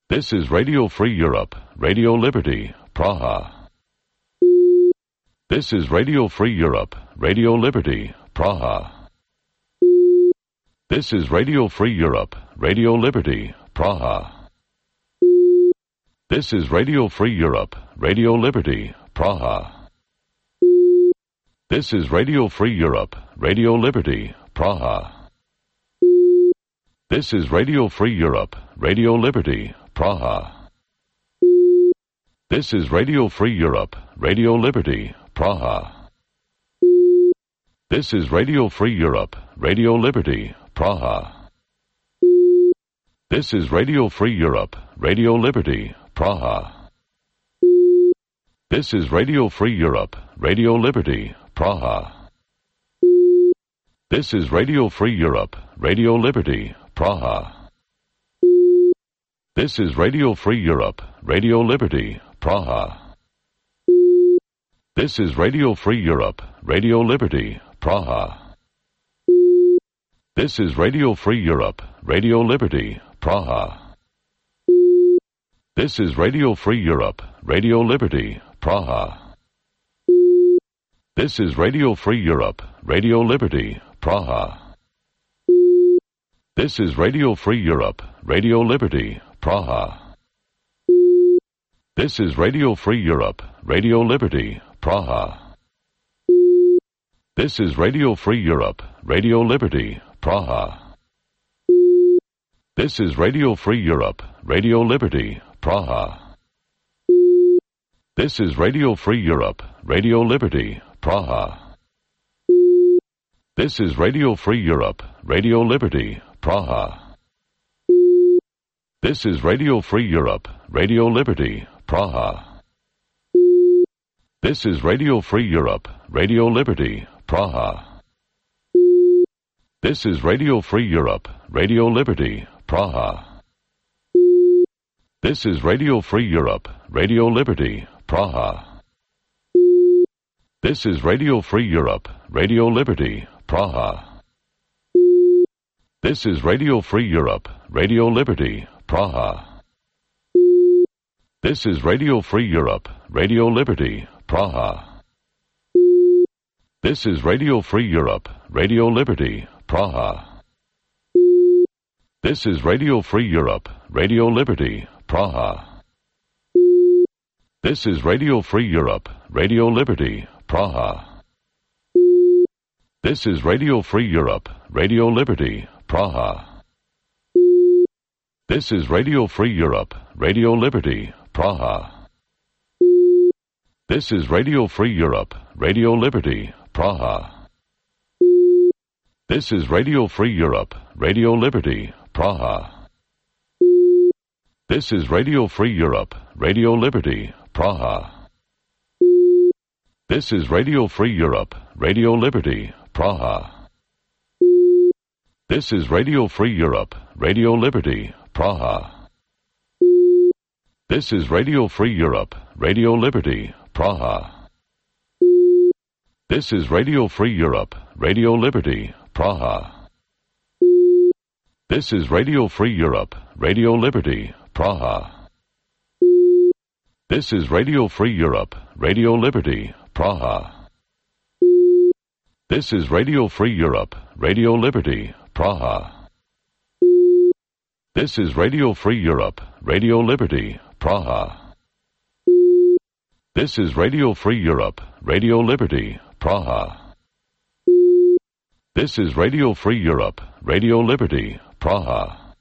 This is Radio Free Europe, Radio Liberty, Praha. This is Radio Free Europe, Radio Liberty, Praha. This is Radio Free Europe, Radio Liberty, Praha. This is Radio Free Europe, Radio Liberty, Praha. This is Radio Free Europe, Radio Liberty, Praha. This is Radio Free Europe, Radio Liberty, Praha. This is Radio Free Europe, Radio Liberty, Praha. This is Radio Free Europe, Radio Liberty, Praha. This is Radio Free Europe, Radio Liberty, Praha. This is Radio Free Europe, Radio Liberty, Praha. This is Radio Free Europe, Radio Liberty, Praha. This is Radio Free Europe, Radio Liberty, Praha. This is Radio Free Europe, Radio Liberty, Praha. This is Radio Free Europe, Radio Liberty, Praha. This is Radio Free Europe, Radio Liberty, Praha. This is Radio Free Europe, Radio Liberty, Praha. This is Radio Free Europe, Radio Liberty, Praha. This is Radio Free Europe, Radio Liberty, Praha. This is Radio Free Europe, Radio Liberty, Praha. This is Radio Free Europe, Radio Liberty, Praha. This is Radio Free Europe, Radio Liberty, Praha. This is Radio Free Europe, Radio Liberty, Praha. This is Radio Free Europe, Radio Liberty, Praha. This is Radio Free Europe, Radio Liberty, Praha. This is Radio Free Europe, Radio Liberty, Praha. This is Radio Free Europe, Radio Liberty, Praha. This is Radio Free Europe, Radio Liberty, Praha. This is Radio Free Europe, Radio Liberty, Praha. This is Radio Free Europe, Radio Liberty, Praha. This is Radio Free Europe, Radio Liberty, Praha. This is Radio Free Europe, Radio Liberty, Praha. This is Radio Free Europe, Radio Liberty, Praha. This is Radio Free Europe, Radio Liberty, Praha. This is Radio Free Europe, Radio Liberty, Praha. This is Radio Free Europe, Radio Liberty, Praha. This is Radio Free Europe, Radio Liberty, Praha. This is Radio Free Europe, Radio Liberty, Praha. This is Radio Free Europe, Radio Liberty, Praha. This is Radio Free Europe, Radio Liberty, Praha. This is Radio Free Europe, Radio Liberty, Praha. This is Radio Free Europe, Radio Liberty, Praha. This is Radio Free Europe, Radio Liberty, Praha. This is Radio Free Europe, Radio Liberty, Praha. This is Radio Free Europe, Radio Liberty, Praha. This is Radio Free Europe, Radio Liberty, Praha. This is Radio Free Europe, Radio Liberty, Praha. This is Radio Free Europe, Radio Liberty, Praha.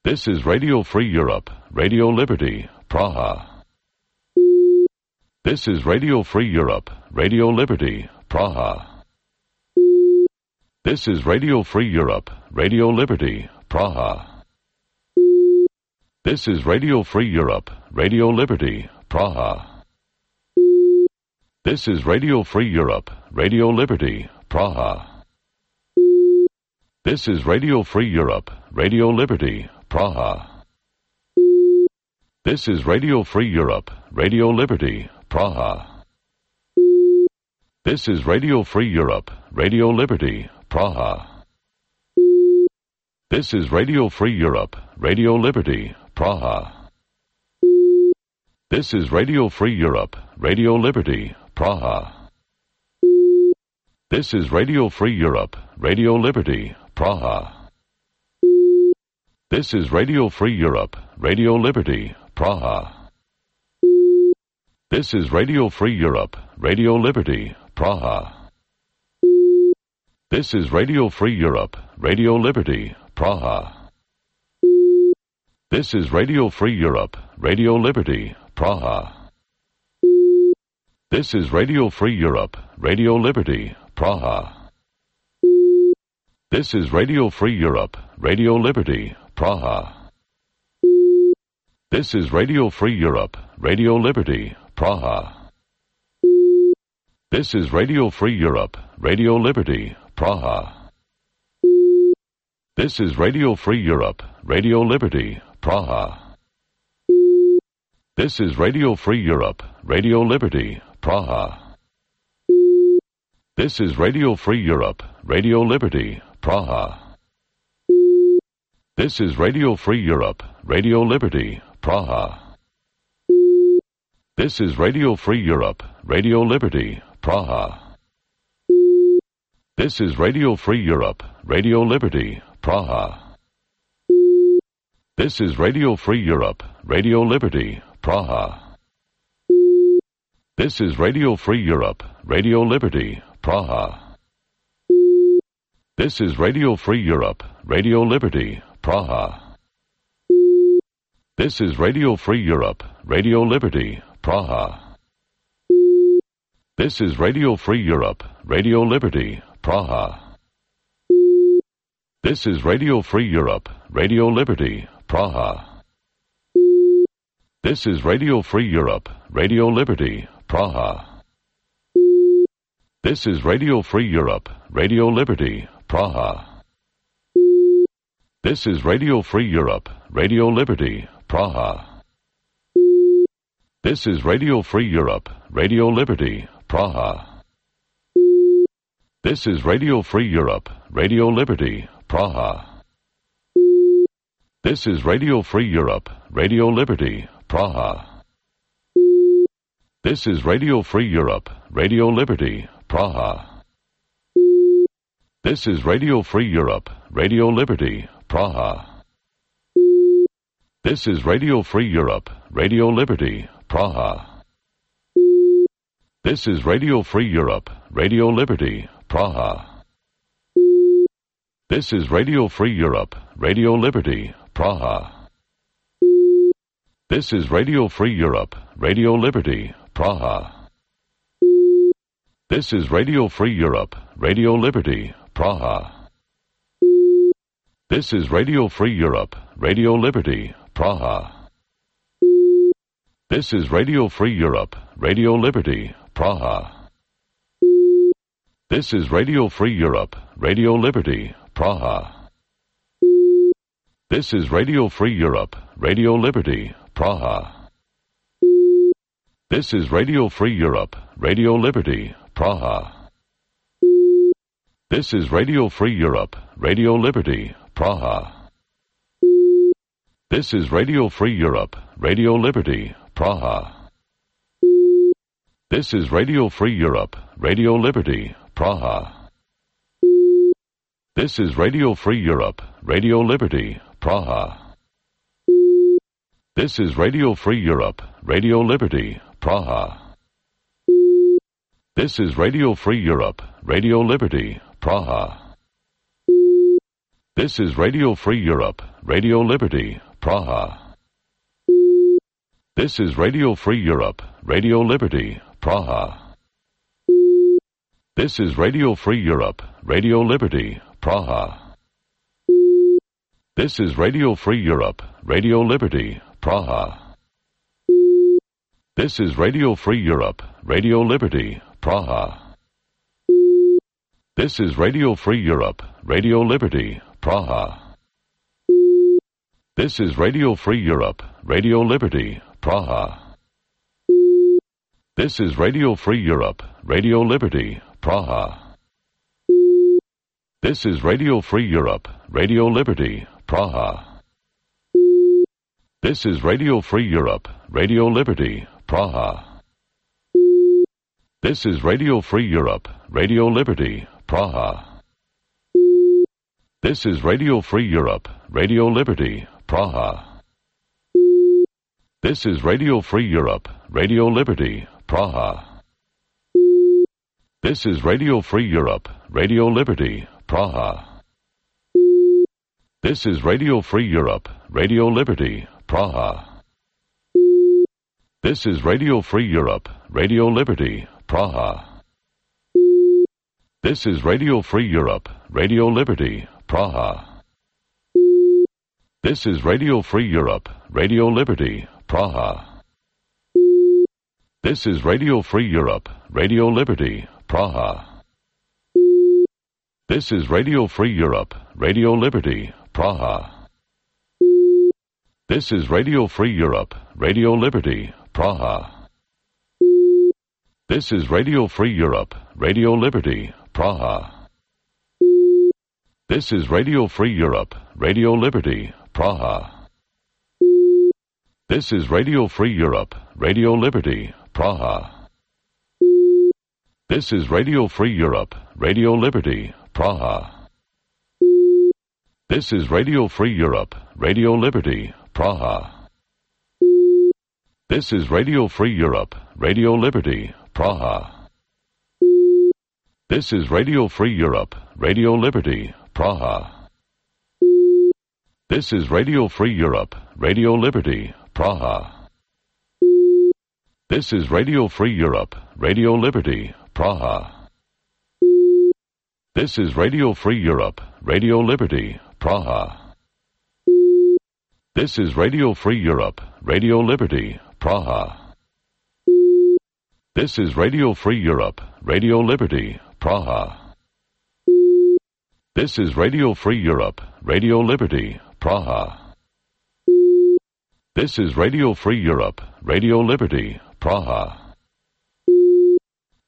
This is Radio Free Europe, Radio Liberty, Praha. This is Radio Free Europe, Radio Liberty, Praha. This is Radio Free Europe, Radio Liberty, Praha. This is Radio Free Europe, Radio Liberty, Praha. This is Radio Free Europe, Radio Liberty, Praha. This is Radio Free Europe, Radio Liberty, Praha. This is Radio Free Europe, Radio Liberty, Praha. This is Radio Free Europe, Radio Liberty, Praha. This is Radio Free Europe, Radio Liberty, Praha. This is Radio Free Europe, Radio Liberty, Praha. This is Radio Free Europe, Radio Liberty, Praha. This is Radio Free Europe, Radio Liberty, Praha. This is Radio Free Europe, Radio Liberty, Praha. This is Radio Free Europe, Radio Liberty, Praha. This is Radio Free Europe, Radio Liberty, Praha. This is Radio Free Europe, Radio Liberty, Praha. This is Radio Free Europe, Radio Liberty, Praha. This is Radio Free Europe, Radio Liberty, Praha. This is Radio Free Europe, Radio Liberty, Praha. This is Radio Free Europe, Radio Liberty, Praha. This is Radio Free Europe, Radio Liberty, Praha. This is Radio Free Europe, Radio Liberty, Praha. This is Radio Free Europe, Radio Liberty, Praha. This is Radio Free Europe, Radio Liberty, Praha. This is Radio Free Europe, Radio Liberty, Praha. This is Radio Free Europe, Radio Liberty, Praha. This is Radio Free Europe, Radio Liberty, Praha. This is Radio Free Europe, Radio Liberty, Praha. This is Radio Free Europe, Radio Liberty, Praha. This is Radio Free Europe, Radio Liberty, Praha. This is Radio Free Europe, Radio Liberty, Praha. This is Radio Free Europe, Radio Liberty, Praha. This is Radio Free Europe, Radio Liberty, Praha. This is Radio Free Europe, Radio Liberty, Praha. This is Radio Free Europe, Radio Liberty, Praha. This is Radio Free Europe, Radio Liberty, Praha. This is Radio Free Europe, Radio Liberty, Praha. This is Radio Free Europe, Radio Liberty, Praha. This is Radio Free Europe, Radio Liberty, Praha. This is Radio Free Europe, Radio Liberty, Praha. This is Radio Free Europe, Radio Liberty, Praha. This is Radio Free Europe, Radio Liberty, Praha. This is Radio Free Europe, Radio Liberty, Praha. This is Radio Free Europe, Radio Liberty, Praha. This is Radio Free Europe, Radio Liberty, Praha. This is Radio Free Europe, Radio Liberty, Praha. This is Radio Free Europe, Radio Liberty, Praha. This is Radio Free Europe, Radio Liberty, Praha. This is Radio Free Europe, Radio Liberty, Praha. This is Radio Free Europe, Radio Liberty, Praha. This is Radio Free Europe, Radio Liberty, Praha. This is Radio Free Europe, Radio Liberty, Praha. This is Radio Free Europe, Radio Liberty, Praha. This is Radio Free Europe, Radio Liberty, Praha. This is Radio Free Europe, Radio Liberty, Praha. This is Radio Free Europe, Radio Liberty, Praha. This is Radio Free Europe, Radio Liberty, Praha. This is Radio Free Europe, Radio Liberty, Praha. This is Radio Free Europe, Radio Liberty, Praha. This is Radio Free Europe, Radio Liberty, Praha. This is Radio Free Europe, Radio Liberty, Praha. This is Radio Free Europe, Radio Liberty, Praha. This is Radio Free Europe, Radio Liberty, Praha. This is Radio Free Europe, Radio Liberty, Praha. This is Radio Free Europe, Radio Liberty, Praha. This is Radio Free Europe, Radio Liberty, Praha. This is Radio Free Europe, Radio Liberty, Praha. This is Radio Free Europe, Radio Liberty, Praha. This is Radio Free Europe, Radio Liberty, Praha. This is Radio Free Europe, Radio Liberty, Praha. This is Radio Free Europe, Radio Liberty, Praha. This is Radio Free Europe, Radio Liberty, Praha. This is Radio Free Europe, Radio Liberty, Praha. This is Radio Free Europe, Radio Liberty, Praha. This is Radio Free Europe, Radio Liberty, Praha. This is Radio Free Europe, Radio Liberty, Praha. This is Radio Free Europe, Radio Liberty, Praha. This is Radio Free Europe, Radio Liberty, Praha. This is Radio Free Europe, Radio Liberty, Praha. This is Radio Free Europe, Radio Liberty, Praha. This is Radio Free Europe, Radio Liberty, Praha. This is Radio Free Europe, Radio Liberty, Praha. This is Radio Free Europe, Radio Liberty, Praha. This is Radio Free Europe, Radio Liberty, Praha. This is Radio Free Europe, Radio Liberty, Praha. This is Radio Free Europe, Radio Liberty, Praha. This is Radio Free Europe, Radio Liberty, Praha. This is Radio Free Europe, Radio Liberty, Praha. This is Radio Free Europe, Radio Liberty, Praha. This is Radio Free Europe, Radio Liberty, Praha.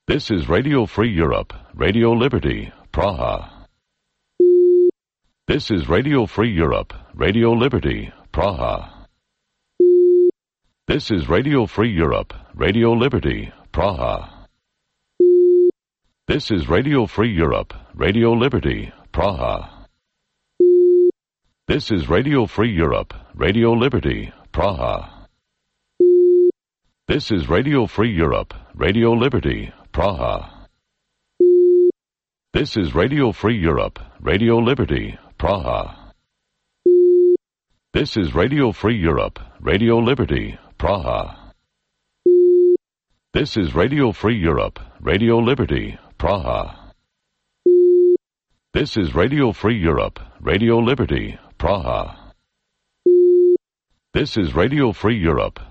This is Radio Free Europe, Radio Liberty, Praha. This is Radio Free Europe, Radio Liberty, Praha. This is Radio Free Europe, Radio Liberty, Praha. This is Radio Free Europe, Radio Liberty, Praha. This is Radio Free Europe, Radio Liberty, Praha. This is Radio Free Europe, Radio Liberty, Praha. This is Radio Free Europe, Radio Liberty, Praha. This is Radio Free Europe, Radio Liberty, Praha. This is Radio Free Europe, Radio Liberty, Praha. This is Radio Free Europe, Radio Liberty, Praha. This is Radio Free Europe.